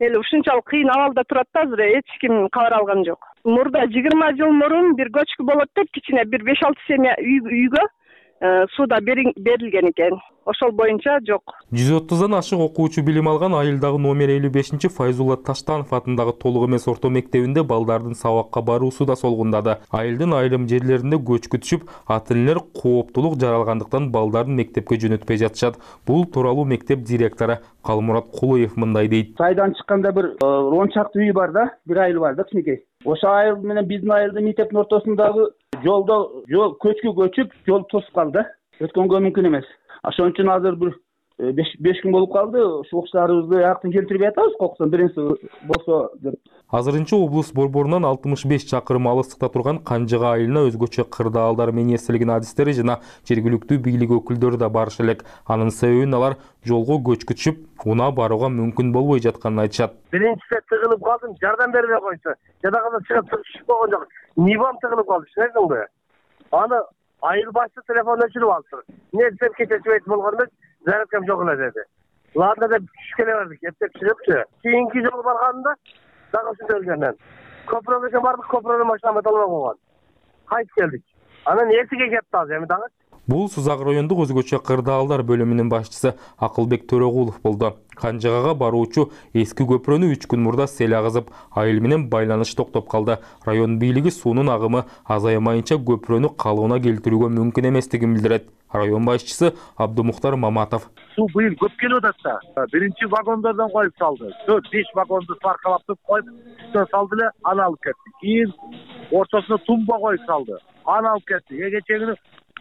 Эл ушунчалык кыйын абалда турат да, азыр эч ким кабар алган жок. Мурда 20 жыл мурун бир көчкү болот деп кичине бир 5-6 семья үйгө сууда берилген экен. Ошол боюнча жок. 130дан ашык окуучу билим алган айылдагы номер 55 Файзулла Таштанов атындагы толук эмес орто мектебинде балдардын сабакка баруусу да солгундады. Айылдын айрым жерлеринде көчкү түшүп, ата-энелер кооптулук жаралгандыктан балдарын мектепке жөнөтпөй жатышат. Бул тууралуу мектеп директору Калмурат Кулуев мындай дейт. Сайдан чыкканда бир 10 чакты үй бар да, бир айыл бар да, кичинекей. Ошо айыл менен биздин айылдын мектептин ортосундагы жолдо көчкү көчүп, жол тосуп калды. Өткөнгө мүмкүн эмес. Ошон үчүн азыр бир 5 күн болуп калды. Ушу окуучуларыбызды аяктан келтирип атабыз, кокусан биринчи болсо деп. Азырынча облус борборунан 65 чакырым алыстыкта турган Канжыга айылына өзгөчө кырдаалдар министрлигинин адистери жана жергиликтүү бийлик өкүлдөрү да барыш элек. Анын себебин алар жолго көчкү түшүп, унаа барууга мүмкүн болбой жатканын айтышат. Биринчисе тыгылып калдым, жардам бербей койсо, жадагада чыгып түшүп болгон жок. Нибам тыгылып калды, түшүнөсүңбү? Аны айыл башчы телефон өчүрүп алды. Эмне десем кечечи болгондо зарядкам жок эле деди. Ладно деп түшкеле бардык, эптеп чыгыпчы. Кийинки жолу барганда дагы ушундай элген. Көпүрөгө бардык, көпүрөнүн машинамы толбой койгон. Кайтып келдик. Анан эртеге кетти азыр эми дагы. Бул Сузак райондук өзгөчө кырдаалдар бөлүмүнүн башчысы Акылбек Төрөгулов болду. Канжыгага баруучу эски көпүрөнү 3 күн мурда сел агызып, айыл менен байланыш токтоп калды. Район бийлиги суунун агымы азаймайынча көпүрөнү калыбына келтирүүгө мүмкүн эместигин билдирет. Район башчысы Абдумухтар Маматов. Суу быйыл көп келип атат да. Биринчи вагондордон коюп салды. 4-5 вагонду паркалап коюп, үстүнө салды эле, аны алып кетти. Кийин ортосуна тумба коюп салды. Аны алып кетти. Кечээ күнү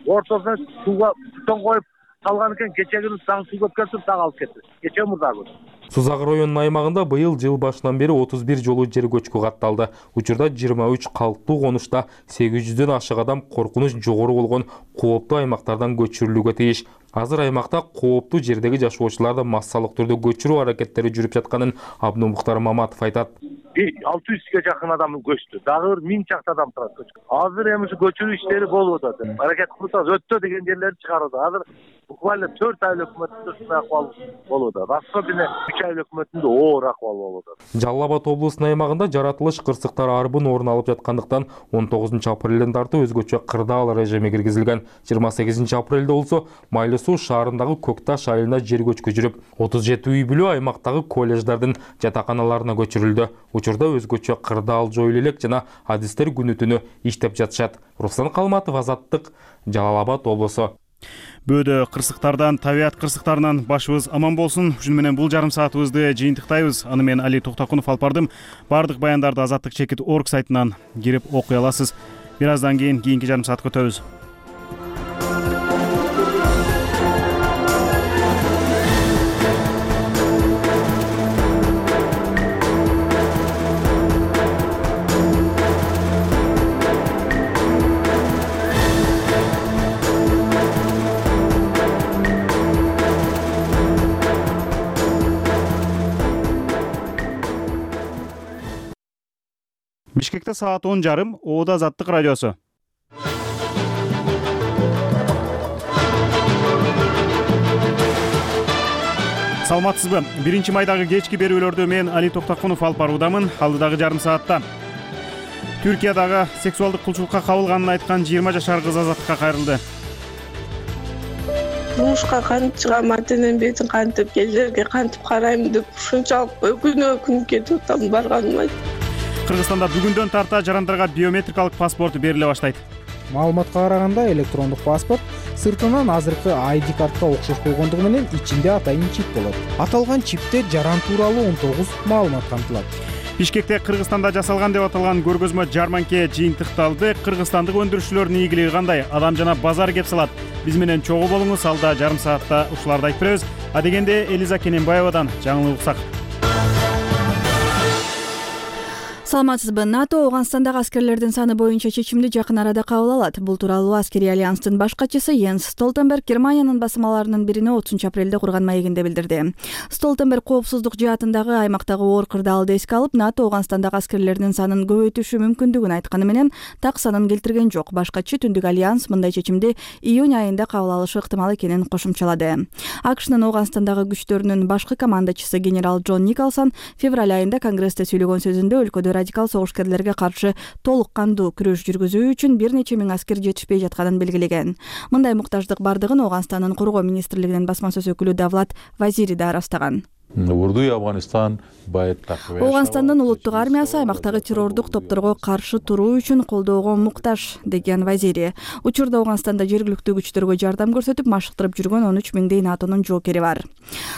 ортосуна сууга бутон коюп салган экен, кечээ күнү дагы суу көп келип дагы алып кетти. Кечээ мурдагы. Сузак районунун аймагында быйыл жыл башынан бери 31 жолу жер көчкү катталды. Учурда 23 калктуу конушта 800дөн ашык адам коркунуч жогору болгон кооптуу аймактардан көчүрүлүүгө тийиш. Азыр аймакта кооптуу жердеги жашоочуларды массалык түрдө көчүрүү аракеттери жүрүп жатканын Абдумухтар Маматов айтат. 600ге жакын адам көчтү. Дагы 1000 чакты адам турат көчкү. Азыр эми көчүрүү иштери болуп атат. Аракет кылып өттө деген жерлерди чыгарып. Азыр буквально 4 ай өкмөтүндө ушундай акыбал болуп атат. Особенно 3 ай өкмөтүндө оор акыбал болуп атат. Жалал Абад облусунун аймагында жаратылыш кырсыктар арбын орун алып жаткандыктан 19 апрелден тартып өзгөчө кырдаал режими киргизилген. 28 апрелде болсо Майлы Суу шаарындагы Көкташ айылында жер көчкү жүрүп, 37 үй бүлө аймактагы колледждардын жатаканаларына көчүрүлдү. Учурда өзгөчө кырдаал жоюлу элек жана адистер күнү түнү иштеп жатышат. Руслан Калматов, Азаттык, Жалал Абад облусу. Бөөдө кырсыктардан, табият кырсыктарынан башыбыз аман болсун. Ушуну менен бул жарым саатыбызды жыйынтыктайбыз. Аны мен Али Токтакунов алып бардым. Бардык баяндарды Азаттык.org сайтынан кирип окуй аласыз. Бир аздан кийинки жарым саатка өтөбүз. Бишкекте саат 10:30, Оода Азаттык радиосу. Саламатсызбы? 1-майдагы кечки берүүлөрдү мен Али Токтакунов алып баруудамын. Алдыдагы жарым саатта Түркиядагы сексуалдык кулчулукка кабылганын айткан 20 жашар кыз азаттыкка кайрылды. Турмушка кантип чыгам, ата-энем бетин кантип, келерге кантип карайм деп ушунчалык өкүнүп кетип атам барганыма. Кыргызстанда бүгүндөн тарта жарандарга биометрикалык паспорт бериле баштайт. Маалыматка караганда электрондук паспорт сыртынан азыркы ID картка окшош болгондугу менен ичинде атайын чип болот. Аталган чипте жаран тууралуу 19 маалымат камтылат. Бишкекте Кыргызстанда жасалган деп аталган көргөзмө жарманке жыйынтыкталды. Кыргызстандык өндүрүүчүлөрдүн ийгилиги кандай? Адам жана базар кеп салат. Биз менен чогуу болуңуз. Алда жарым саатта ушуларды айтып беребиз. Адегенде Элиза Кененбаевадан жаңылык уксак. Саламатсызбы? НАТО Ооганстандагы аскерлердин саны боюнча чечимди жакын арада кабыл алат. Бул тууралуу аскерий альянстын баш катчысы Йенс Столтенберг Германиянын басмаларынын бирине 30 апрелде курган маегинде билдирди. Столтенберг коопсуздук жаатындагы аймактагы оор кырдаалды эске алып, НАТО Ооганстандагы аскерлердин санын көбөйтүшү мүмкүндүгүн айтканы менен так санын келтирген жок. Баш катчы Түндүк альянс мындай чечимди июнь айында кабыл алышы ыктымал экенин кошумчалады. АКШнын Ооганстандагы күчтөрүнүн башкы командачысы генерал Джон Николсон февраль айында Конгрессте сөйлөгөн сөзүндө өлкөдө радикал согушкерлерге каршы толук кандуу күрөш жүргүзүү үчүн бир нече миң аскер жетишпей жатканын белгилеген. Мындай муктаждык бардыгын Ооганстандын коргоо министрлигинин басма сөз өкүлү Давлат Вазири да ырастаган. Ооганстандын улуттук армиясы аймактагы террордук топторго каршы туруу үчүн колдоого муктаж, деген Вазири. Учурда Ооганстанда жергиликтүү күчтөргө жардам көрсөтүп, машыктырып жүргөн 13 миңдей НАТОнун жоокери бар.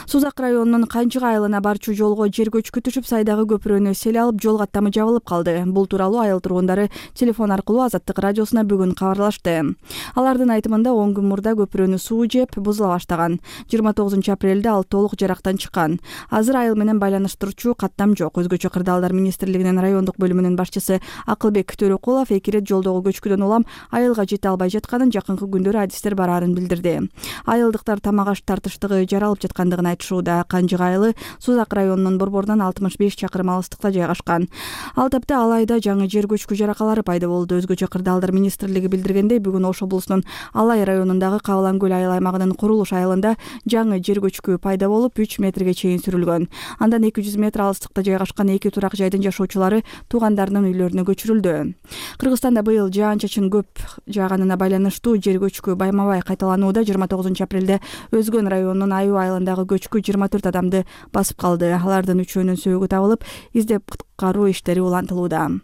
Сузак районунун Канчык айылына барчу жолго жер көчкү түшүп, сайдагы көпүрөнү сел алып, жол каттамы жабылып калды. Бул тууралуу айыл тургундары телефон аркылуу Азаттык радиосуна бүгүн кабарлашты. Алардын айтымында 10 күн мурда көпүрөнү суу жеп, бузула баштаган. 29 апрелде ал толук жарактан чыккан. Азыр айыл менен байланыштыруучу каттам жок. Өзгөчө кырдаалдар министрлигинин райондук бөлүмүнүн башчысы Акылбек Төрөкулов эки ирет жолдогу көчкүдөн улам айылга жете албай жатканын, жакынкы күндөрү адистер бараарын билдирди. Айылдыктар тамак аш тартыштыгы жаралып жаткандыгын айтышууда. Канчык айылы Сузак районунун борборунан 65 чакырым алыстыкта жайгашкан. Ал тапта Алайда жаңы жер көчкү жаракалары пайда болду. Өзгөчө кырдаалдар министрлиги билдиргендей, бүгүн Ош облусунун Алай районундагы Кабылан көл айыл аймагынын Курулуш айылында жаңы жер көчкү пайда болуп 3 метрге чейин сүрүлгөн. Андан 200 метр алыстыкта жайгашкан эки турак жайдын жашоочулары туугандарынын үйлөрүнө көчүрүлдү. Кыргызстанда быйыл жаан-чачын көп жааганына байланыштуу жер көчкү байма-бай кайталанууда. 29 апрелде Өзгөн районунун Аюу айылындагы көчкү 24 адамды басып калды. Алардын үчөөнүн сөөгү табылып, издеп куткаруу иштери улантылууда.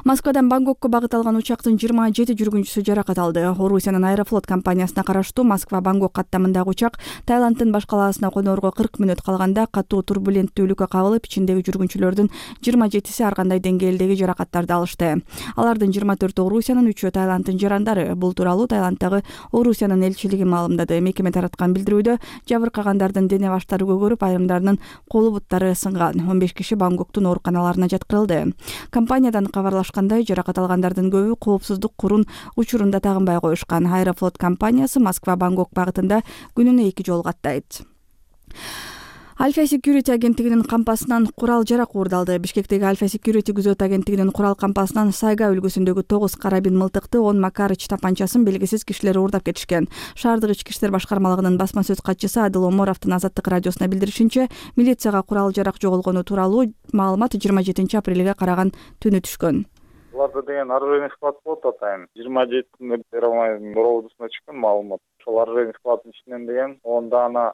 Москвадан Бангкокко багыт алган учактын 27 жүргүнчүсү жаракат алды. Орусиянын Аэрофлот компаниясына караштуу Москва-Бангкок каттамындагы учак Таиланддын баш калаасына конорго 40 мүнөт калганда катуу турбуленттүүлүккө кабылып, ичиндеги жүргүнчүлөрдүн 27си ар кандай деңгээлдеги жаракаттарды алышты. Алардын 24 Орусиянын, 3-өө Таиланддын жарандары. Бул тууралуу Таиланддагы Орусиянын элчилиги маалымдады. Мекеме тараткан билдирүүдө жабыркагандардын дене баштары көгөрүп, айрымдарынын колу буттары сынган. 15 киши Бангкоктун ооруканаларына жаткырылды. Компаниядан кабарлашкандай, жаракат алгандардын көбү коопсуздук курун учурунда тагынбай коюшкан. Аэрофлот компаниясы Москва-Бангкок багытында күнүнө 2 жол каттайт. Alfa Security агенттигинин кампасынан курал жарак уурдалды. Бишкектеги Alfa Security күзөт агенттигинин курал кампасынан Сайга өлкөсүндөгү 9 карабин мылтыкты, 10 Макарыч тапанчасын белгисиз кишилер уурдап кетишкен. Шаардык ички иштер башкармалыгынын басма сөз катчысы Адыл Оморовдун Азаттык радиосуна билдиришинче, милицияга курал жарак жоголгону тууралуу маалымат 27-апрелге караган түнү түшкөн. Буларда деген оружейный склад болот атайын. 27-нде Первомай Боровдусуна чыккан маалымат. Ошол оружейный складдын ичинен деген 10 даана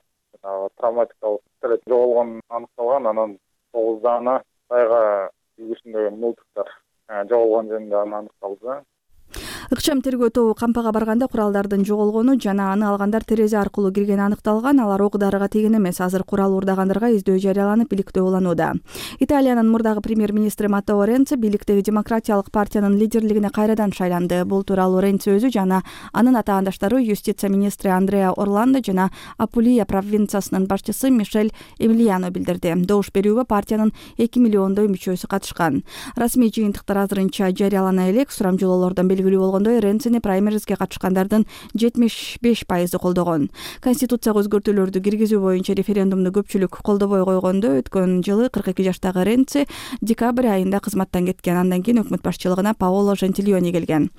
травматикалык пистолет жоголгон аныкталган, анан 9 даана Сайга үлгүсүндөгү мылтыктар жоголгон жөнүндө аныкталды. Ыкчам тергөө тобу кампага барганда куралдардын жоголгону жана аны алгандар терезе аркылуу киргени аныкталган. Алар ок-дарыга тийген эмес. Азыр курал уурдагандарга издөө жарыяланып, иликтөө уланууда. Италиянын мурдагы премьер-министри Маттео Ренци бийликтеги демократиялык партиянын лидерлигине кайрадан шайланды. Бул тууралуу Ренци өзү жана анын атаандаштары юстиция министри Андреа Орландо жана Апулия провинциясынын башчысы Мишель Эмилиано билдирди. Добуш берүүгө партиянын 2 миллиондой мүчөсү катышкан. Расмий жыйынтыктар азырынча жарыялана элек. Сурамжылоолордон белгилүү болгондой, Ренцини праймеризге катышкандардын 75% колдогон. Конституцияга өзгөртүүлөрдү киргизүү боюнча референдумду көпчүлүк колдобой койгондо өткөн жылы 42 жаштагы Ренци декабрь айында кызматтан кеткен. Андан кийин өкмөт башчылыгына Паоло Жентилиони келген.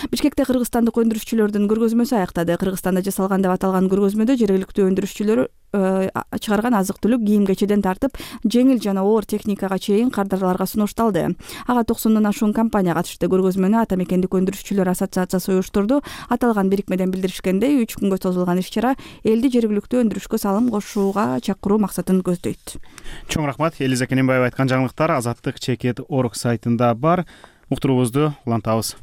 Бишкекте кыргызстандык өндүрүшчүлөрдүн көргөзмөсү аяктады. Кыргызстанда жасалган деп аталган көргөзмөдө жергиликтүү өндүрүшчүлөр чыгарган азык-түлүк, кийим-кечеден тартып жеңил жана оор техникага чейин кардарларга сунушталды. Ага 90-дон ашуун компания катышты. Көргөзмөнү Ата мекендик өндүрүшчүлөр ассоциациясы уюштурду. Аталган бирикмеден билдиришкендей, 3 күнгө созулган иш-чара элди жергиликтүү өндүрүшкө салым кошууга чакыруу максатын көздөйт. Чоң рахмат. Элиза Кененбаева айткан жаңылыктар Азаттык Чекет.org сайтында бар. Уктуруубузду улантабыз.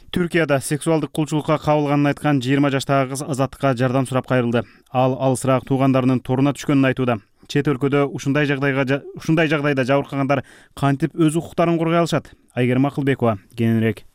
Түркияда сексуалдык кулчулукка кабылганын айткан 20 жаштагы кыз азаттыкка жардам сурап кайрылды. Ал алысыраак туугандарынын торуна түшкөнүн айтууда. Чет өлкөдө ушундай жагдайда жабыркагандар кантип өз укуктарын коргой алышат? Айгерим Акылбекова кененирээк.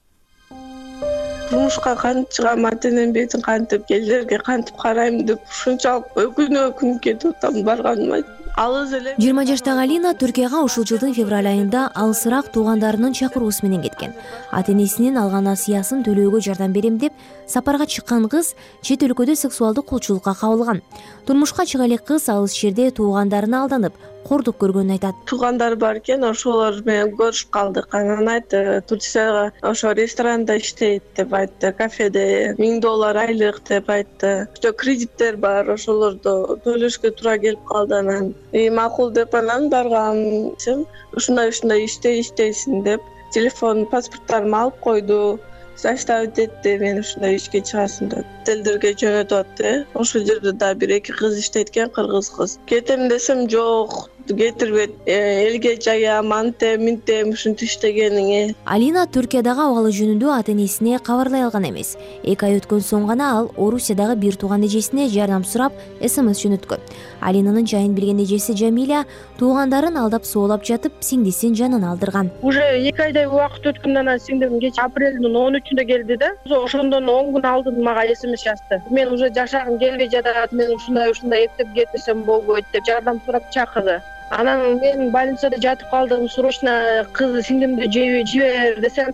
Турмушка кантип чыгам, ата-энем бетин кантип, келдерге кантип карайм деп ушунчалык өкүнүп кетип атам барганыма. 20 жаштагы Алина Түркияга ушул жылдын февраль айында алысыраак туугандарынын чакыруусу менен кеткен. Ата-энесинин алган насыясын төлөөгө жардам берем деп сапарга чыккан кыз чет өлкөдө сексуалдык кулчулукка кабылган. Турмушка чыга элек кыз алыс жерде туугандарына алданып, кордук көргөнүн айтат. Туугандар бар экен, ошолор менен көрүшүп калдык. Анан айтты, Турцияга ошо ресторанда иштейт деп айтты, кафеде $1000 айлык деп айтты. Кредиттер бар, ошолорду төлөшкө туура келип калды. Анан макул деп анан баргам. Ушундай иштейсиң деп телефон, паспорттарымды алып койду. Заставить этти, мен ушундай ишке чыгасың деп. Телдерге жөнөтүп атты. Ошол жерде да 1-2 кыз иштейт экен, кыргыз кыз. Кетем десем жок, кетирбет, элге жаям, минтем ушинтип иштегениңе. Алина Түркиядагы абалы жөнүндө ата-энесине кабарлай алган эмес. 2 ай өткөн соң гана ал Орусиядагы бир тууган эжесине жардам сурап СМС жөнөткөн. Алинанын жайын билген эжеси Жамиля туугандарын алдап соолап жатып, сиңдисин жанын алдырган. Уже 2 айдай убакыт өткөндөн анан сиңдим кеч апрелдин 13-үндө келди да. Ошондон 10 күн алдын мага СМС жазды. Мен уже жашагым келбей жатат, мен ушундай эптеп кетсем болбойт деп жардам сурап чакырды. Анан мен больницада жатып калдым, срочно кызы сиңдимди жибер десем,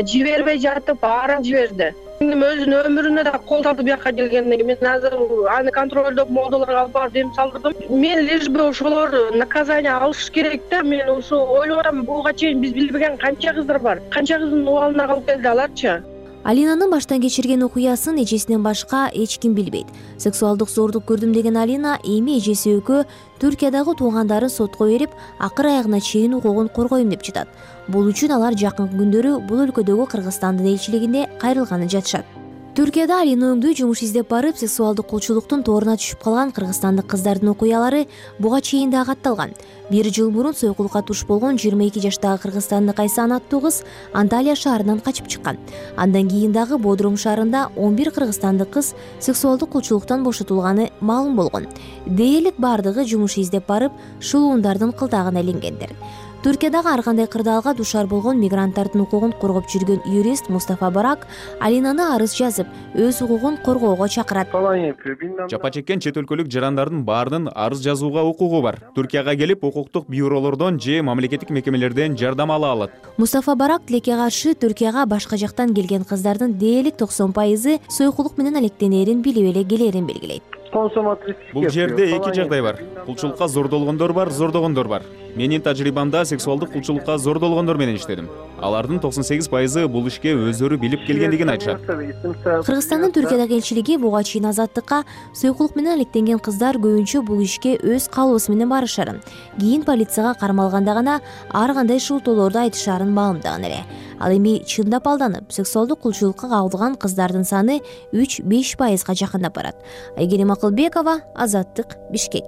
жибербей жатып, арам жиберди. Сиңдим өзүнүн өмүрүнө да кол тартып бияка келгенден кийин мен азыр аны контролдоп модуларга алып барып дем салдырдым. Мен лишь бы ошолор наказание алыш керек да. Мен ошо ойлоп атам, буга чейин биз билбеген канча кыздар бар. Канча кыздын убалына калып келди аларчы. Алинанын баштан кечирген окуясын эжесинен башка эч ким билбейт. Сексуалдык зордук көрдүм деген Алина эми эжеси экөө Түркиядагы туугандарын сотко берип, акыр аягына чейин укугун коргойм деп жатат. Бул үчүн алар жакынкы күндөрү бул өлкөдөгү Кыргызстандын элчилигине кайрылганы жатышат. Түркияда Алина өңдүү жумуш издеп барып, сексуалдык кулчулуктун торуна түшүп калган кыргызстандык кыздардын окуялары буга чейин да катталган. 1 жыл мурун сойкулукка туш болгон 22 жаштагы кыргызстандык Айсан аттуу кыз Анталия шаарынан качып чыккан. Андан кийин дагы Бодрум шаарында 11 кыргызстандык кыз сексуалдык кулчулуктан бошотулганы маалым болгон. Дээрлик бардыгы жумуш издеп барып, шулуундардын кылтагына иленгендер. Түркиядагы ар кандай кырдаалга дуушар болгон мигранттардын укугун коргоп жүргөн юрист Мустафа Барак Алинаны арыз жазып, өз укугун коргоого чакырат. Жапа чеккен чет өлкөлүк жарандардын баарынын арыз жазууга укугу бар. Түркияга келип, укуктук бюролордон же мамлекеттик мекемелерден жардам ала алат. Мустафа Барак тилекке каршы Түркияга башка жактан келген кыздардын дээрлик 90% сойкулук менен алектенерин билип эле келерин белгилейт. Бул жерде эки жагдай бар. Кулчулукка зордолгондор бар, зордогондор бар. Менин тажрыйбамда сексуалдык кулчулукка зордолгондор менен иштедим. Алардын 98% бул ишке өздөрү билип келгендигин айтышат. Кыргызстандын Түркиядагы элчилиги буга чейин азаттыкка сойкулук менен алектенген кыздар көбүнчө бул ишке өз каалоосу менен барышарын, кийин полицияга кармалганда гана ар кандай шылтоолорду айтышарын маалымдаган эле. Ал эми чындап алданып, сексуалдык кулчулукка кабылган кыздардын саны 3-5%га жакындап барат. Айгерим Акылбекова, Азаттык, Бишкек.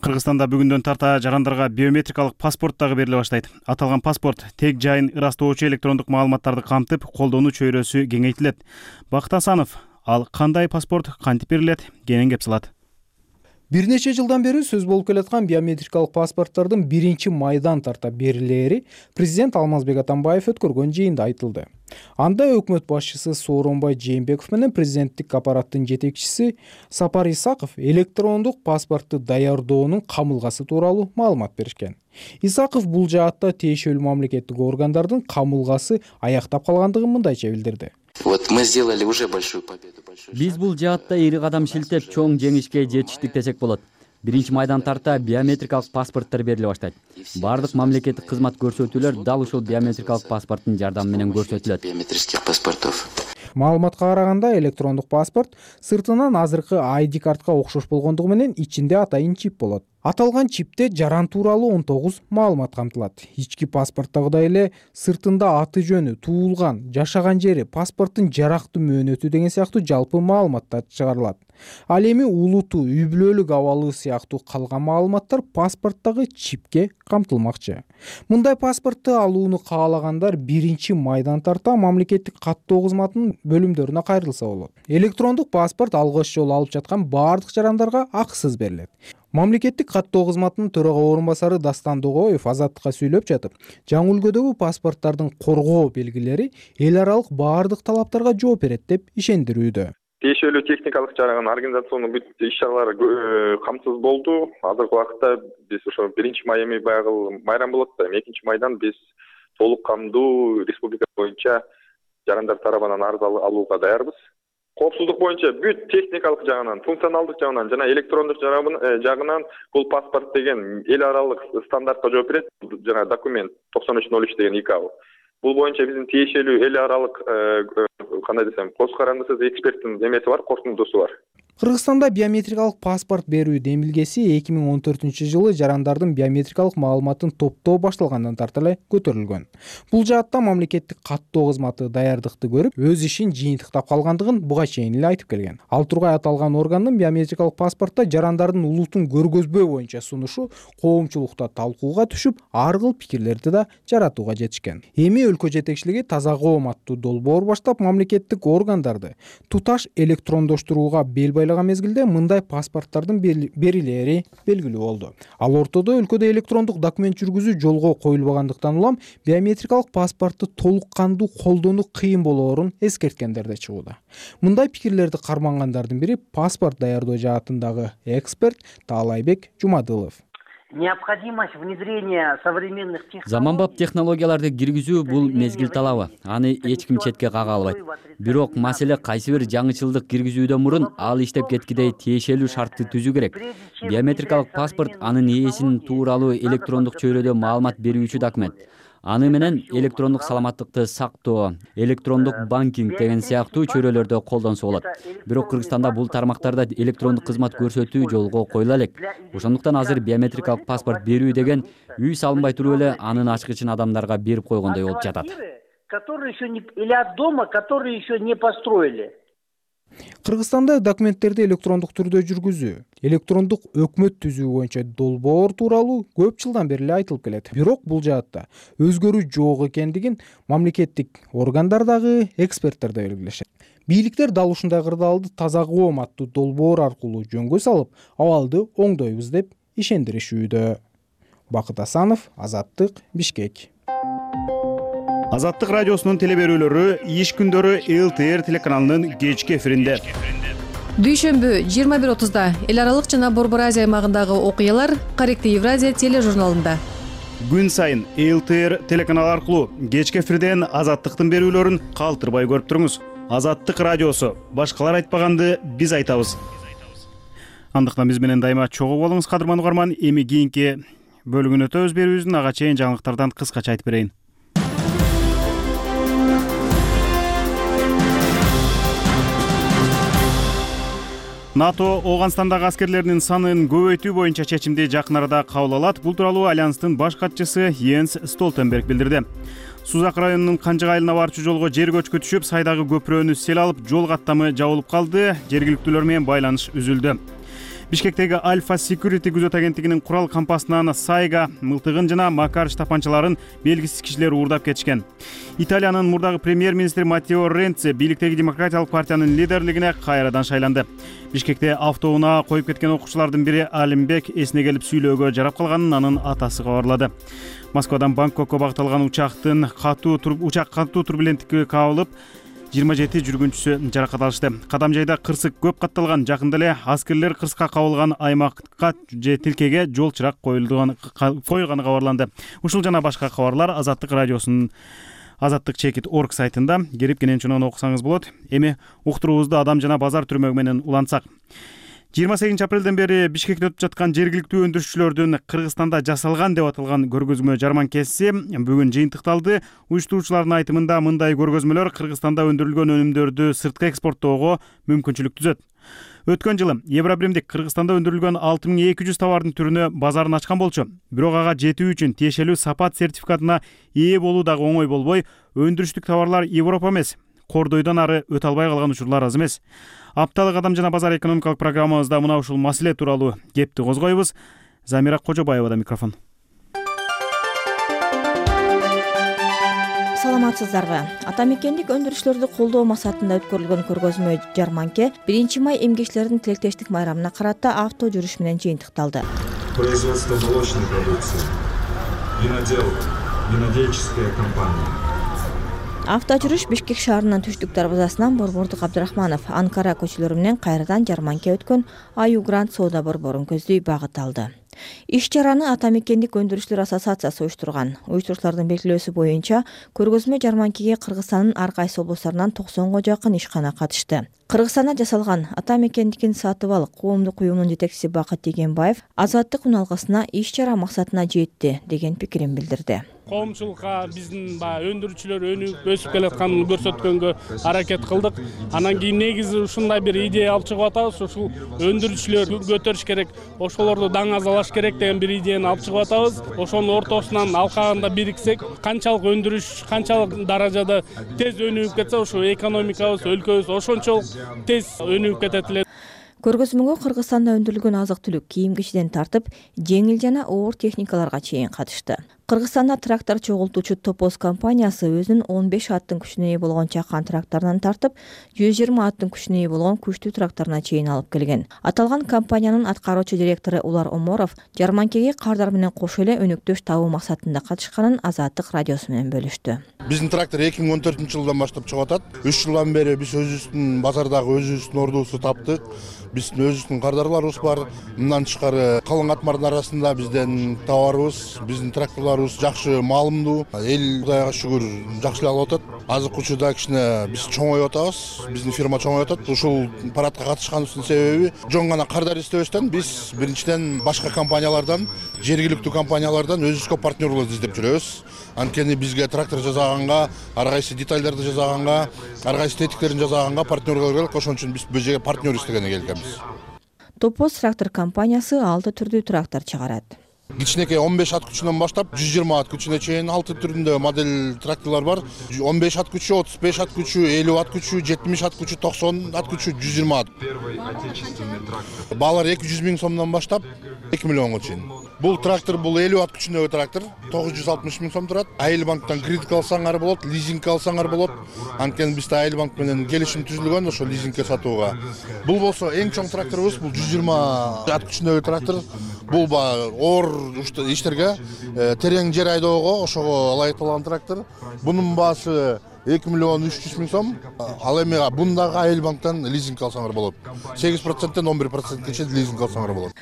Кыргызстанда бүгүндөн тарта жарандарга биометрикалык паспорт дагы бериле баштайт. Аталган паспорт тег жайын ырастоочу электрондук маалыматтарды камтып, колдонуу чөйрөсү кеңейтилет. Бакыт Асанов, ал кандай паспорт, кантип берилет, кенен кеп сылат. Бир нече жылдан бери сөз болуп келаткан биометрикалык паспорттордун 1-майдан тарта берилери президент Алмазбек Атамбаев өткөргөн жыйында айтылды. Анда өкмөт башчысы Сооронбай Жээнбеков менен президенттик аппараттын жетекчиси Сапар Исаков электрондук паспортты даярдоонун камылгасы тууралуу маалымат беришкен. Исаков бул жаатта тиешелүү мамлекеттик органдардын камылгасы аяктап калгандыгын мындайча билдирди. Вот мы сделали уже большую победу. Биз бул жаатта ири кадам шилтеп, чоң жеңишке жетиштик десек болот. 1-майдан тарта биометрикалык паспорттор бериле баштайт. Бардык мамлекеттик кызмат көрсөтүүлөр дал ушул биометрикалык паспорттун жардамы менен көрсөтүлөт. Биометрических паспортов. Маалыматка караганда электрондук паспорт сыртынан азыркы ID картка окшош болгондугу менен ичинде атайын чип болот. Аталган чипте жаран тууралуу 19 маалымат камтылат. Ички паспорттагыдай эле сыртында аты жөнү, туулган, жашаган жери, паспорттун жарактуу мөөнөтү деген сыяктуу жалпы маалыматтар чыгарылат. Ал эми улуту, үй бүлөлүк абалы сыяктуу калган маалыматтар паспорттагы чипке камтылмакчы. Мындай паспортты алууну каалагандар 1-майдан тарта мамлекеттик каттоо кызматынын бөлүмдөрүнө кайрылса болот. Электрондук паспорт алгач жолу алып жаткан бардык жарандарга акысыз берилет. Мамлекеттик каттоо кызматынын төрага орун басары Дастан Догоев Азаттыкка сүйлөп жатып, жаңы үлгүдөгү паспорттардын коргоо белгилери эл аралык бардык талаптарга жооп берет деп ишендирүүдө. Тиешелүү техникалык жагынан организациондук бүт иш-чаралар камсыз болду. Азыркы убакытта биз ошо 1-май эми баягы майрам болот да, 2-майдан биз толук камдуу республика боюнча жарандар тарабынан арыз алууга даярбыз. Коопсуздук боюнча бүт техникалык жагынан, функционалдык жагынан жана электрондук жагынан бул паспорт деген эл аралык стандартка жооп берет. Жана документ 9303 деген ИКАО. Бул боюнча биздин тиешелүү эл аралык кандай десем, коз карандысыз эксперттин эмеси бар, корутундусу бар. Кыргызстанда биометрикалык паспорт берүү демилгеси 2014-жылы жарандардын биометрикалык маалыматын топтоо башталгандан тарта эле көтөрүлгөн. Бул жаатта мамлекеттик каттоо кызматы даярдыкты көрүп, өз ишин жыйынтыктап калгандыгын буга чейин эле айтып келген. Ал тургай аталган органдын биометрикалык паспортто жарандардын улутун көргөзбөө боюнча сунушу коомчулукта талкууга түшүп, ар кыл пикирлерди да жаратууга жетишкен. Эми өлкө жетекчилиги таза коом аттуу долбоор баштап мамлекеттик органдарды туташ электрондоштурууга бел байлаган мезгилде мындай паспорттардын берилери белгилүү болду. Ал ортодо өлкөдө электрондук документ жүргүзүү жолго коюлбагандыктан улам биометрикалык паспортты толук кандуу колдонуу кыйын болоорун эскерткендер да чыгууда. Мындай пикирлерди кармангандардын бири паспорт даярдоо жаатындагы эксперт Таалайбек Жумадылов. Необходимость внедрения современных технологий. Заманбап технологияларды киргизүү бул мезгил талабы. Аны эч ким четке кага албайт. Бирок маселе кайсы бир жаңычылдык киргизүүдөн мурун ал иштеп кеткидей тиешелүү шартты түзүү керек. Биометрикалык паспорт анын ээсинин тууралуу электрондук чөйрөдө маалымат берүүчү документ. Аны менен электрондук саламаттыкты сактоо, электрондук банкинг деген сыяктуу чөйрөлөрдө колдонсо болот. Бирок Кыргызстанда бул тармактарда электрондук кызмат көрсөтүү жолго коюла элек. Ошондуктан азыр биометрикалык паспорт берүү деген үй салынбай туруп эле анын ачкычын адамдарга берип койгондой болуп жатат. Которые еще не или от дома, которые еще не построили. Кыргызстанда документтерди электрондук түрдө жүргүзүү, электрондук өкмөт түзүү боюнча долбоор тууралуу көп жылдан бери эле айтылып келет. Бирок бул жаатта өзгөрүү жок экендигин мамлекеттик органдар дагы, эксперттер да белгилешет. Бийликтер дал ушундай кырдаалды таза коом аттуу долбоор аркылуу жөнгө салып, абалды оңдойбуз деп ишендиришүүдө. Бакыт Асанов, Азаттык, Бишкек. Азаттык радиосунун телеберүүлөрү иш күндөрү ЛТР телеканалынын кечки эфиринде. Дүйшөмбү 21:30 эл аралык жана Борбор Азия аймагындагы окуялар Корректив Евразия тележурналында. Күн сайын ЛТР телеканалы аркылуу кечки эфирден Азаттыктын берүүлөрүн калтырбай көрүп туруңуз. Азаттык радиосу, башкалар айтпаганды биз айтабыз. Андыктан биз менен дайыма чогуу болуңуз, кадырман угарман. Эми кийинки бөлүгүн өтөбүз берүүбүздүн, ага чейин жаңылыктардан кыскача айтып берейин. НАТО Ооганстандагы аскерлеринин санын көбөйтүү боюнча чечимди жакын арада кабыл алат. Бул тууралуу альянстын баш катчысы Йенс Столтенберг билдирди. Сузак районунун Канжык айылына барчу жолго жер көчкү түшүп, сайдагы көпүрөнү сел алып, жол каттамы жабылып калды. Жергиликтүүлөр менен байланыш үзүлдү. Бишкектеги Альфа Security күзөт агенттигинин курал кампасынан сайга мылтыгын жана Макарыч тапанчаларын белгисиз кишилер уурдап кетишкен. Италиянын мурдагы премьер-министри Маттео Ренци бийликтеги Демократиялык партиянын лидерлигине кайрадан шайланды. Бишкекте автоунаа коюп кеткен окуучулардын бири Алимбек эсине келип сүйлөөгө жарап калганын анын атасы кабарлады. Москвадан Бангкокко багытталган учак катуу турбуленттикке кабылып, 27 жүргүнчүсү жаракат алышты. Кадам жайда кырсык көп катталган. Жакында эле аскерлер кырсыкка кабылган аймакка же тилкеге жол чырак койганы кабарланды. Ушул жана башка кабарлар Азаттык радиосунун Азаттык чекит орг сайтында кирип кенен окусаңыз болот. Эми уктуруубузду адам жана базар түрмөгү менен улантсак. 28 апрелден бери Бишкекте өтүп жаткан жергиликтүү өндүрүшчүлөрдүн Кыргызстанда жасалган деп аталган көргөзмө жарманкеси бүгүн жыйынтыкталды. Уюштуруучулардын айтымында мындай көргөзмөлөр Кыргызстанда өндүрүлгөн өнүмдөрдү сыртка экспорттоого мүмкүнчүлүк түзөт. Өткөн жылы Евробримдик Кыргызстанда өндүрүлгөн 6200 товардын түрүнө базарын ачкан болчу. Бирок ага жетүү үчүн тиешелүү сапат сертификатына ээ болуу дагы оңой болбой, өндүрүштүк товарлар Европа эмес, кордойдон ары өтө албай калган учурлар аз эмес. Апталык адам жана базар экономикалык программабызда мына ушул маселе тууралуу кепти козгойбуз. Замира Кожобаевада микрофон. Саламатсыздарбы? Ата мекендик өндүрүшчүлөрдү колдоо максатында өткөрүлгөн көргөзмө жарманке 1-май эмгекчилердин тилектештик майрамына карата авто жүрүш менен жыйынтыкталды. Производство молочной продукции, винодел, винодельческая компания. Авто жүрүш Бишкек шаарынын түштүк дарбазасынан Борбордук Абдрахманов, Анкара көчөлөрү менен кайрадан жарманке өткөн Аю Гранд соода борборун көздөй багыт алды. Иш чараны Ата мекендик өндүрүшчүлөр ассоциациясы уюштурган. Уюштуруучулардын белгилөөсү боюнча көргөзмө жарманкеге Кыргызстандын ар кайсы облустарынан 90га жакын ишкана катышты. Кыргызстанда жасалган Ата мекендикин сатып ал коомдук уюмунун жетекчиси Бакыт Дегенбаев Азаттык үналгысына иш чара максатына жетти деген пикирин билдирди. Коомчулукка биздин өндүрүүчүлөр өнүгүп өсүп келатканын көрсөткөнгө аракет кылдык. Анан кийин негизи ушундай бир идея алып чыгып атабыз. Ушул өндүрүүчүлөр көтөрүш керек, ошолорду даң азалаш керек деген бир идеяны алып чыгып атабыз. Ошонун ортосунан алкагында бириксек, канчалык өндүрүш, канчалык даражада тез өнүгүп кетсе, ошо экономикабыз, өлкөбүз ошончолук тез өнүгүп кетет эле. Көргөзмөгө Кыргызстанда өндүрүлгөн азык-түлүк, кийим-кичиден тартып, жеңил жана оор техникаларга чейин катышты. Кыргызстанда трактор чогултуучу Топоз компаниясы өзүнүн 15 аттын күчүнө ээ болгон чакан тракторунан тартып, 120 аттын күчүнө ээ болгон күчтүү тракторуна чейин алып келген. Аталган компаниянын аткаруучу директору Улар Оморов жарманкеге кардар менен кошо эле өнүктөш табуу максатында катышканын Азаттык радиосу менен бөлүштү. Биздин трактор 2014-жылдан баштап чыгып атат. 3 жылдан бери биз өзүбүздүн базардагы өзүбүздүн ордубузду таптык. Биздин өзүбүздүн кардарларыбыз бар. Мындан тышкары калың атмардын арасында бизден товарыбыз, биздин тракторлорубуз жакшы маалымдуу. Эл Кудайга шүгүр жакшы алып атат. Азык учурда кичине биз чоңоюп атабыз. Биздин фирма чоңоюп атат. Ушул парадка катышканыбыздын себеби жөн гана кардар издебестен биз биринчиден башка компаниялардан, жергиликтүү компаниялардан өзүбүзгө партнерлор издеп жүрөбүз. Анткени бизге трактор жасаганга, ар кайсы детальдарды жасаганга, ар кайсы тетиктерин жасаганга партнерлор керек. Ошон үчүн биз бул жерге партнер издегенге келгенбиз. Топоз трактор компаниясы 6 түрдүү трактор чыгарат. кичинекей 15 ат күчүнөн баштап 120 ат күчүнө чейин 6 түрүндө модель тракторлор бар. 15 ат күчү, 35 ат күчү, 50 ат күчү, 70 ат күчү, 90 ат күчү, 120 ат. Первый отечественный трактор. Баалар 200 миң сомдон баштап 2 миллионго чейин. Бул трактор, бул 50 ат күчүндөгү трактор 960 миң сом турат. Айыл банктан кредит алсаңар болот, лизинг алсаңар болот. Анткени бизде Айыл банк менен келишим түзүлгөн ошо лизингге сатууга. Бул болсо эң чоң тракторубуз, бул 120 ат күчүндөгү трактор. Бул оор иштерге, терең жер айдоого ошого ылайыкталган трактор. Бунун баасы 2 миллион 300 миң сом. Ал эми бундагы Айыл банктан лизинг алсаңар болот. 8%тен 11%ке чейин лизинг алсаңар болот.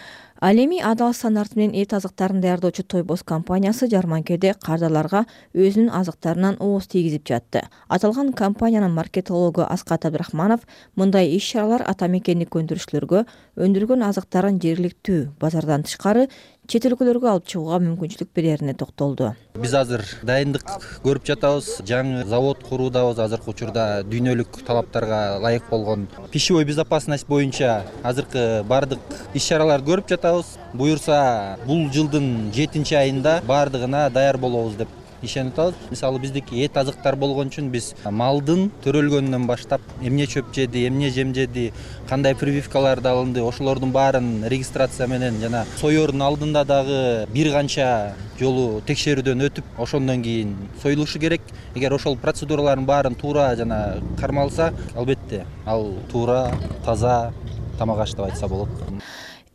Ал эми адал стандарт менен эт азыктарын даярдоочу Тойбос компаниясы жарманкеде кардарларга өзүнүн азыктарынан ооз тийгизип жатты. Аталган компаниянын маркетологу Аскат Абдрахманов мындай иш-чаралар ата мекендик өндүрүшчүлөргө өндүргөн азыктарын жергиликтүү базардан тышкары чет өлкөлөргө алып чыгууга мүмкүнчүлүк берерине токтолду. Биз азыр дайындык көрүп жатабыз. Жаңы завод куруудабыз. Азыркы учурда дүйнөлүк талаптарга ылайык болгон пищевой безопасность боюнча азыркы бардык иш-чараларды көрүп жатабыз. Буюрса, бул жылдын 7-айында бардыгына даяр болобуз деп ишенип атабыз. Мисалы биздики эт азыктар болгон үчүн биз малдын төрөлгөнүнөн баштап эмне чөп жеди, эмне жем жеди, кандай прививкаларды алынды, ошолордун баарын регистрация менен жана соердун алдында дагы бир канча жолу текшерүүдөн өтүп, ошондон кийин союлушу керек. Эгер ошол процедуралардын баарын туура жана кармалса, албетте ал туура, таза тамак аш деп айтса болот.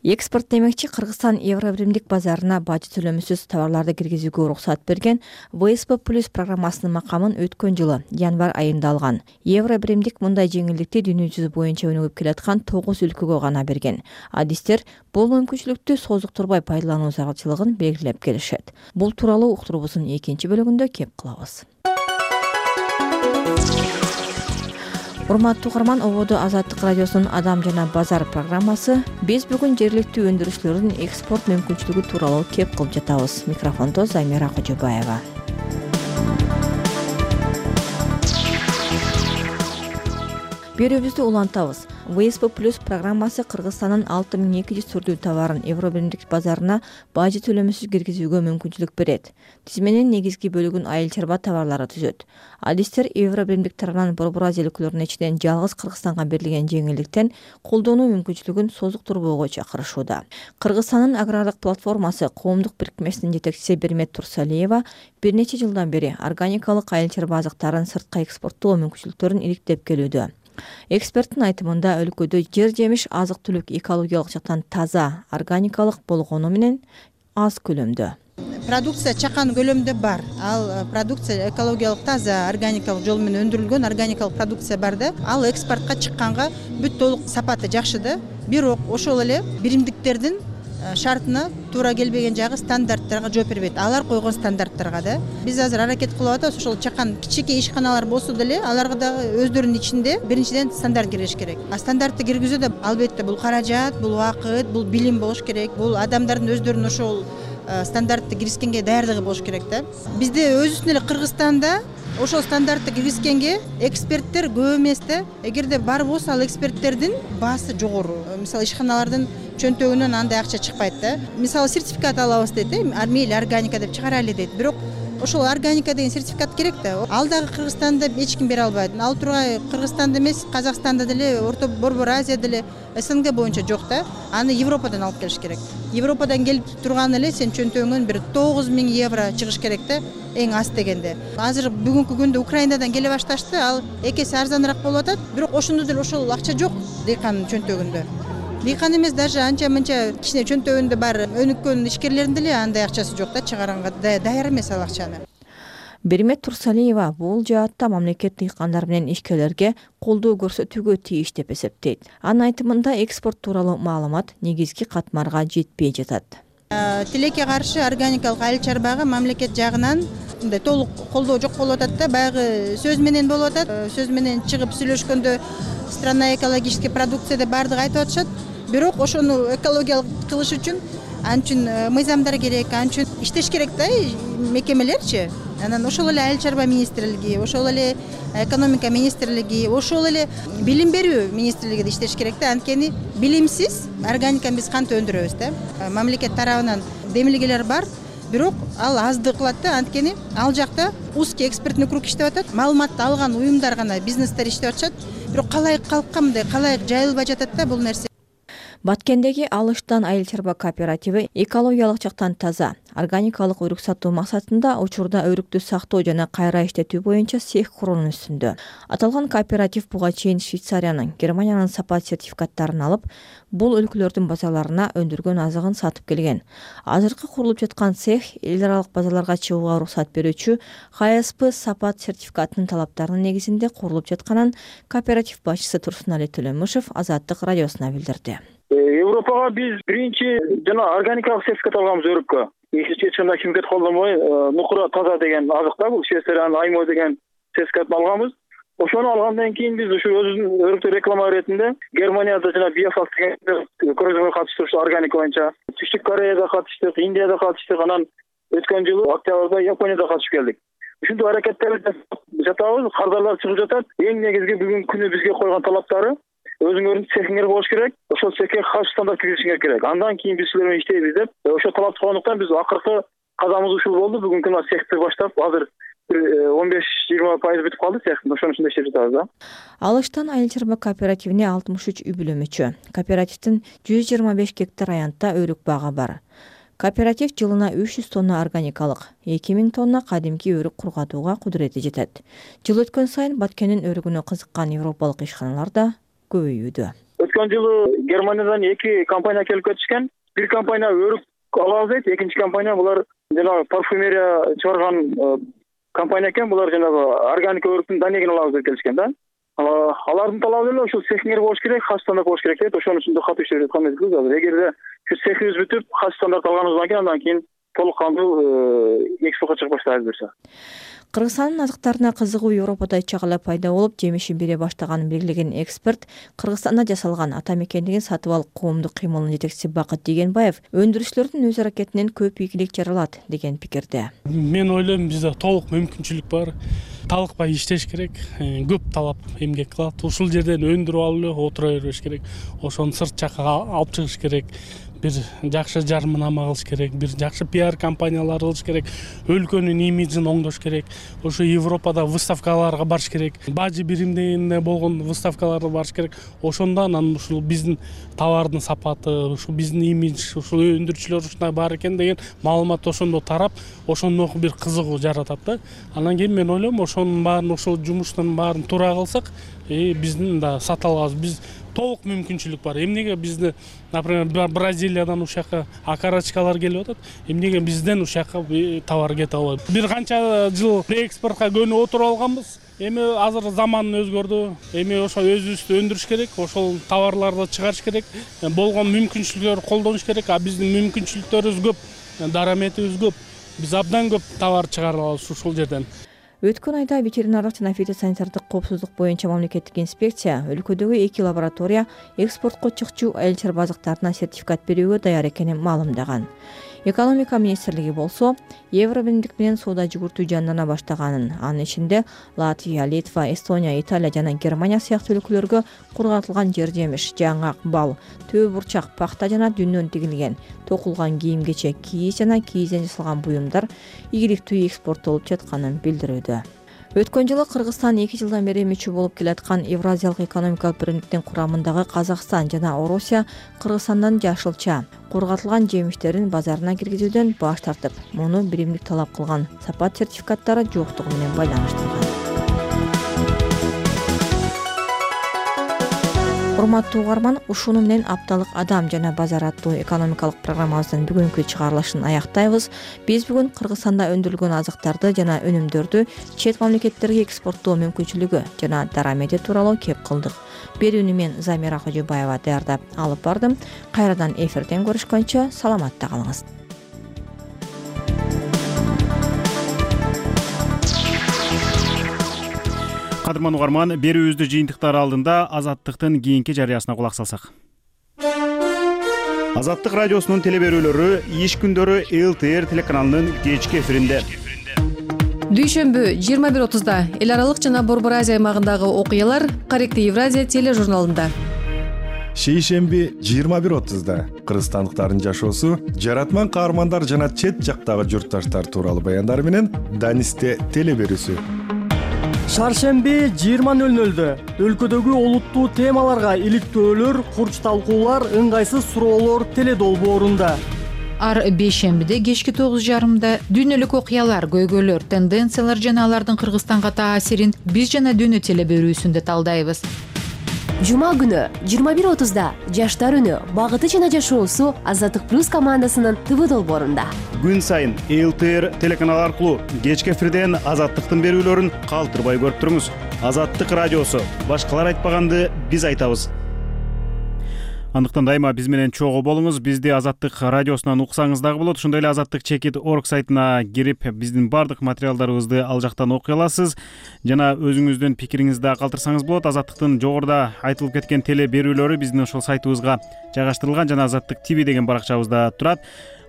Экспорт демекчи Кыргызстан Евробиримдик базарына бажы төлөмүсүз товарларды киргизүүгө уруксат берген ВСП+ программасынын макамын өткөн жылы январь айында алган. Евробиримдик мындай жеңилдикти дүйнө жүзү боюнча өнүгүп келаткан 9 өлкөгө гана берген. Адистер бул мүмкүнчүлүктү созуктурбай пайдалануу зарылчылыгын белгилеп келишет. Бул тууралуу уктурубуздун 2 бөлүгүндө кеп кылабыз. Урматтуу угарман, ободо Азаттык радиосунун Адам жана базар программасы. Биз бүгүн жергиликтүү өндүрүшчүлөрдүн экспорт мүмкүнчүлүгү тууралуу кеп кылып жатабыз. Микрофондо Замира Кожобаева. Берүүбүздү улантабыз. ВСП+ программасы Кыргызстандын 6200 түрдүү товарын Евробиримдик базарына бажы төлөмүсүз киргизүүгө мүмкүнчүлүк берет. Тизменин негизги бөлүгүн айыл чарба товарлары түзөт. Адистер Евробиримдик тарабынан Борбор Азия өлкөлөрүнүн ичинен жалгыз Кыргызстанга берилген жеңилдиктен колдонуу мүмкүнчүлүгүн созуктурбоого чакырышууда. Кыргызстандын агрардык платформасы коомдук бирикмесинин жетекчиси Бермет Турсалиева бир нече жылдан бери органикалык айыл чарба азыктарын сыртка экспорттоо мүмкүнчүлүктөрүн иликтеп келүүдө. Эксперттин айтымында өлкөдө жер жемиш азык-түлүк экологиялык жактан таза, органикалык болгону менен аз көлөмдө. Продукция чакан көлөмдө бар. Ал продукция экологиялык таза, органикалык жол менен өндүрүлгөн органикалык продукция бар да. Ал экспортко чыкканга бүт толук сапаты жакшы да. Бирок ошол эле биримдиктердин шартына туура келбеген жагы стандарттарга жооп бербейт. Алар койгон стандарттарга да. Биз азыр аракет кылып атабыз, ошол чакан кичинекей ишканалар болсо деле аларга дагы өздөрүнүн ичинде биринчиден стандарт киргизиш керек. А стандартты киргизүүдө албетте бул каражат, бул убакыт, бул билим болуш керек. Бул адамдардын өздөрүнүн ошол стандартты киргизгенге даярдыгы болуш керек да. Бизде өзүбүздүн эле Кыргызстанда ошол стандартты киргизгенге эксперттер көп эмес да. Эгерде бар болсо ал эксперттердин баасы жогору. Мисалы ишканалардын чөнтөгүнөн андай акча чыкпайт да. Мисалы сертификат алабыз дейт, мейли органика деп чыгарайлы дейт. Бирок ошол органика деген сертификат керек да. Ал дагы Кыргызстанда эч ким бере албайт. Ал тургай Кыргызстанда эмес, Казакстанда деле, Орто Борбор Азия деле, СНГ боюнча жок да. Аны Европадан алып келиш керек. Европадан келип турган эле сен чөнтөгүңөн бир 9000 евро чыгыш керек да, эң аз дегенде. Азыр бүгүнкү күндө Украинадан келе башташты, ал экеси арзаныраак болуп атат. Бирок ошондо деле ошол акча жок дыйкандын чөнтөгүндө. Дыйкан эмес, даже анча-мынча кичине чөнтөгүндө бар өнүккөн ишкерлердин деле андай акчасы жок да, чыгаранга даяр эмес ал акчаны. Бермет Турсалиева бул жаатта мамлекет дыйкандар менен ишкерлерге колдоо көрсөтүүгө тийиш деп эсептейт. Анын айтымында экспорт тууралуу маалымат негизги катмарга жетпей жатат. Тилекке каршы органикалык айыл чарбага мамлекет жагынан мындай толук колдоо жок болуп атат да, баягы сөз менен болуп атат. Сөз менен чыгып сүйлөшкөндө страна экологический продукция деп бардыгы айтып атышат. Бирок ошону экологиялык кылыш үчүн анчын мыйзамдар керек, анчын иштеш керек да мекемелерчи. анан ошол эле айыл чарба министрлиги, ошол эле экономика министрлиги, ошол эле билим берүү министрлиги да иштеш керек да. Анткени билимсиз органиканы биз кантип өндүрөбүз да? Мамлекет тарабынан демилгелер бар, бирок ал аздык кылат да. Анткени ал жакта узкий экспертный круг иштеп атат, маалыматты алган уюмдар гана, бизнестер иштеп атышат. Бирок калайык калкка мындай калайык жайылбай жатат да бул нерсе. Баткендеги Алыштан айыл чарба кооперативи экологиялык жактан таза, органикалык өрүк сатуу максатында учурда өрүктү сактоо жана кайра иштетүү боюнча цех куруунун үстүндө. Аталган кооператив буга чейин Швейцариянын, Германиянын сапат сертификаттарын алып, бул өлкөлөрдүн базарларына өндүргөн азыгын сатып келген. Азыркы курулуп жаткан цех эл аралык базарларга чыгууга уруксат берүүчү ХСП сапат сертификатынын талаптарынын негизинде курулуп жатканын кооператив башчысы Турсунали Төлөмүшев Азаттык радиосуна билдирди. Европага биз биринчи жана органикалык сертификат алганбыз өрүккө. Эч кандай химикат колдонбой, нукура таза деген азык да, бул Швейцариянын Аймо деген сертификатын алганбыз. Ошону алгандан кийин биз ушу өзүбүздүн өрүктү реклама иретинде Германияда жана Биофак деген көргөзмөгө катыштык, ушу органика боюнча. Түштүк Кореяда катыштык, Индияда катыштык, анан өткөн жылы октябрда Японияда катышып келдик. Ушундай аракеттерди жатабыз, кардарлар чыгып жатат. Эң негизги бүгүнкү күнү бизге койгон талаптары өзүңөрдүн цехиңер болуш керек, ошол цехке каш стандарт киргизишиңер керек. Андан кийин биз силер менен иштейбиз деп, ошол талапты койгондуктан биз акыркы кадамыбыз ушул болду. Бүгүнкү күнү цехти баштап, азыр 15-20% бүтүп калды цехтин, ошонун ичинде иштеп жатабыз да. Алыштан айыл чарба кооперативине 63 үй бүлө мүчө. Кооперативдин 125 гектар аянтта өрүк багы бар. Кооператив жылына 300 тонна органикалык, 2000 тонна кадимки өрүк кургатууга кудурети жетет. Жыл өткөн сайын Баткендин өрүгүнө кызыккан европалык ишканалар да көбөйүүдө. Өткөн жылы Германиядан 2 компания келип кетишкен. Бир компания өрүк алабыз дейт, экинчи компания булар жана парфюмерия чыгарган компания экен. Булар жанагы органика өрүктүн данегин алабыз деп келишкен да. Алардын талабы эле ушул цехиңер болуш керек, хас стандарт болуш керек дейт. Ошонун үстүндө катуу иштеп жаткан мезгил азыр. Эгерде ушу цехибиз бүтүп, хас стандарт алганыбыздан кийин андан кийин толук кандуу экспортко чыгып баштайбыз буюрса. Кыргызстандын азыктарына кызыгуу Европада чагыла пайда болуп, жемишин бере баштаганын белгилеген эксперт Кыргызстанда жасалган ата мекендигин сатып алып коомдук кыймылынын жетекчиси Бакыт Дегенбаев өндүрүүчүлөрдүн өз аракетинен көп ийгилик жаралат деген пикирде. Мен ойлойм, бизде толук мүмкүнчүлүк бар. Талыкпай иштеш керек, көп талап эмгек кылат. Ушул жерден өндүрүп алып эле отура бербеш керек. Ошону сырт жакка алып чыгыш керек. Бир жакшы жарманама кылыш керек, бир жакшы пиар компаниялар кылыш керек, өлкөнүн имиджин оңдош керек. Ошо Европада выставкаларга барыш керек, бажы биримдегенде болгон выставкаларга барыш керек. Ошондо анан ушул биздин товардын сапаты, ушул биздин имидж, ушул өндүрүүчүлөр ушундай бар экен деген маалымат ошондо тарап, ошондо бир кызыгуу жаратат да. Анан кийин мен ойлойм, ошонун баарын, ошол жумуштун баарын туура кылсак, биздин да сата алабыз. Биз толук мүмкүнчүлүк бар. Эмнеге бизди, например, Бразилиядан ушакка окорочкалар келип атат, эмнеге бизден ушакка товар кете албайт? Бир канча жыл экспортко көнүп отуруп алганбыз. Эми азыр заман өзгөрдү. Эми ошо өзүбүздү өндүрүш керек, ошол товарларды чыгарыш керек, болгон мүмкүнчүлүктөрдү колдонуш керек. А биздин мүмкүнчүлүктөрүбүз көп, дараметибиз көп. Биз абдан көп товар чыгара алабыз ушул жерден. Өткөн айда ветеринардык жана фитосанитардык коопсуздук боюнча мамлекеттик инспекция өлкөдөгү 2 лаборатория экспортко чыкчу айыл чарба азыктарына сертификат берүүгө даяр экенин маалымдаган. Экономика министрлиги болсо Евробирлик менен соода жүгүртүү жандана баштаганын, анын ичинде Латвия, Литва, Эстония, Италия жана Германия сыяктуу өлкөлөргө кургатылган жер жемиш, жаңгак, бал, төө бурчак, пахта жана дүннөн тигилген, токулган кийим-кечек, кийиз жана кийизден жасалган буюмдар ийгиликтүү экспорттолуп жатканын билдирүүдө. Өткөн жылы Кыргызстан 2 жылдан бери мүчө болуп келаткан Евразиялык экономикалык биримдиктин курамындагы Казакстан жана Орусия Кыргызстандан жашылча, кургатылган жемиштерин базарына киргизүүдөн баш тартып, муну биримдик талап кылган сапат сертификаттары жоктугу менен байланыштырган. Урматтуу угарман, ушуну менен апталык Адам жана базар аттуу экономикалык программабыздын бүгүнкү чыгарылышын аяктайбыз. Биз бүгүн Кыргызстанда өндүрүлгөн азыктарды жана өнүмдөрдү чет мамлекеттерге экспорттоо мүмкүнчүлүгү жана дарамети тууралуу кеп кылдык. Берүүнү мен Замира Кожобаева даярдап алып бардым. Кайрадан эфирден көрүшкөнчө саламатта калыңыз. Кадырман угарман, берүүбүздү жыйынтыктары алдында Азаттыктын кийинки жарыясына кулак салсак. Азаттык радиосунун теле берүүлөрү иш күндөрү ЛТР телеканалынын кечки эфиринде. дүйшөмбү 21:30 эл аралык жана Борбор Азия аймагындагы окуялар Корректив Евразия тележурналында. Шейшемби 21:30 кыргызстандыктардын жашоосу, жаратман каармандар жана чет жактагы журтташтар тууралуу баяндар менен Данисте телеберүүсү. Шаршемби 20:00 өлкөдөгү олуттуу темаларга иликтөөлөр, курч талкуулар, ыңгайсыз суроолор теледолбоорунда. Ар бейшембиде кечки 9:30 дүйнөлүк окуялар, көйгөйлөр, тенденциялар жана алардын Кыргызстанга таасирин биз жана дүйнө телеберүүсүндө талдайбыз. Жума күнү 21:30 жаштар үнү, багыты жана жашоосу Азаттык плюс командасынын ТВ долбоорунда. Күн сайын ЛТР телеканалы аркылуу кечки эфирден Азаттыктын берүүлөрүн калтырбай көрүп туруңуз. Азаттык радиосу, башкалар айтпаганды биз айтабыз. Андыктан дайыма биз менен чогуу болуңуз. Бизди Азаттык радиосунан уксаңыз дагы болот. Ошондой эле azattikchekit.org сайтына кирип, биздин бардык материалдарыбызды ал жактан окуй аласыз. Жана өзүңүздүн пикириңизди да калтырсаңыз болот. Азаттыктын жогоруда айтылып кеткен теле берүүлөрү биздин ошол сайтыбызга жайгаштырылган жана Азаттык ТВ деген баракчабызда турат.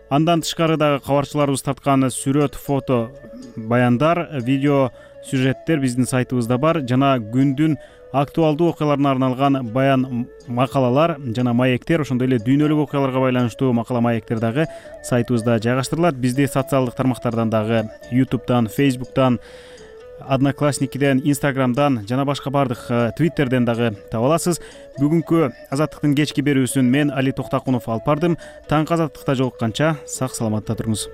Андан тышкары дагы кабарчыларыбыз тарткан сүрөт, фото, баяндар, видео сюжеттер биздин сайтыбызда бар. Жана күндүн актуалдуу окуяларына арналган баян макалалар жана маектер, ошондой эле дүйнөлүк окуяларга байланыштуу макала маектер дагы сайтыбызда жайгаштырылат. Бизди социалдык тармактардан дагы YouTube'дан, Facebook'тан, Одноклассникиден, Instagram'дан жана башка бардык Twitter'ден дагы таба аласыз. Бүгүнкү Азаттыктын кечки берүүсүн мен Али Токтакунов алып бардым. Таңкы Азаттыкта жолукканча сак саламатта туруңуз.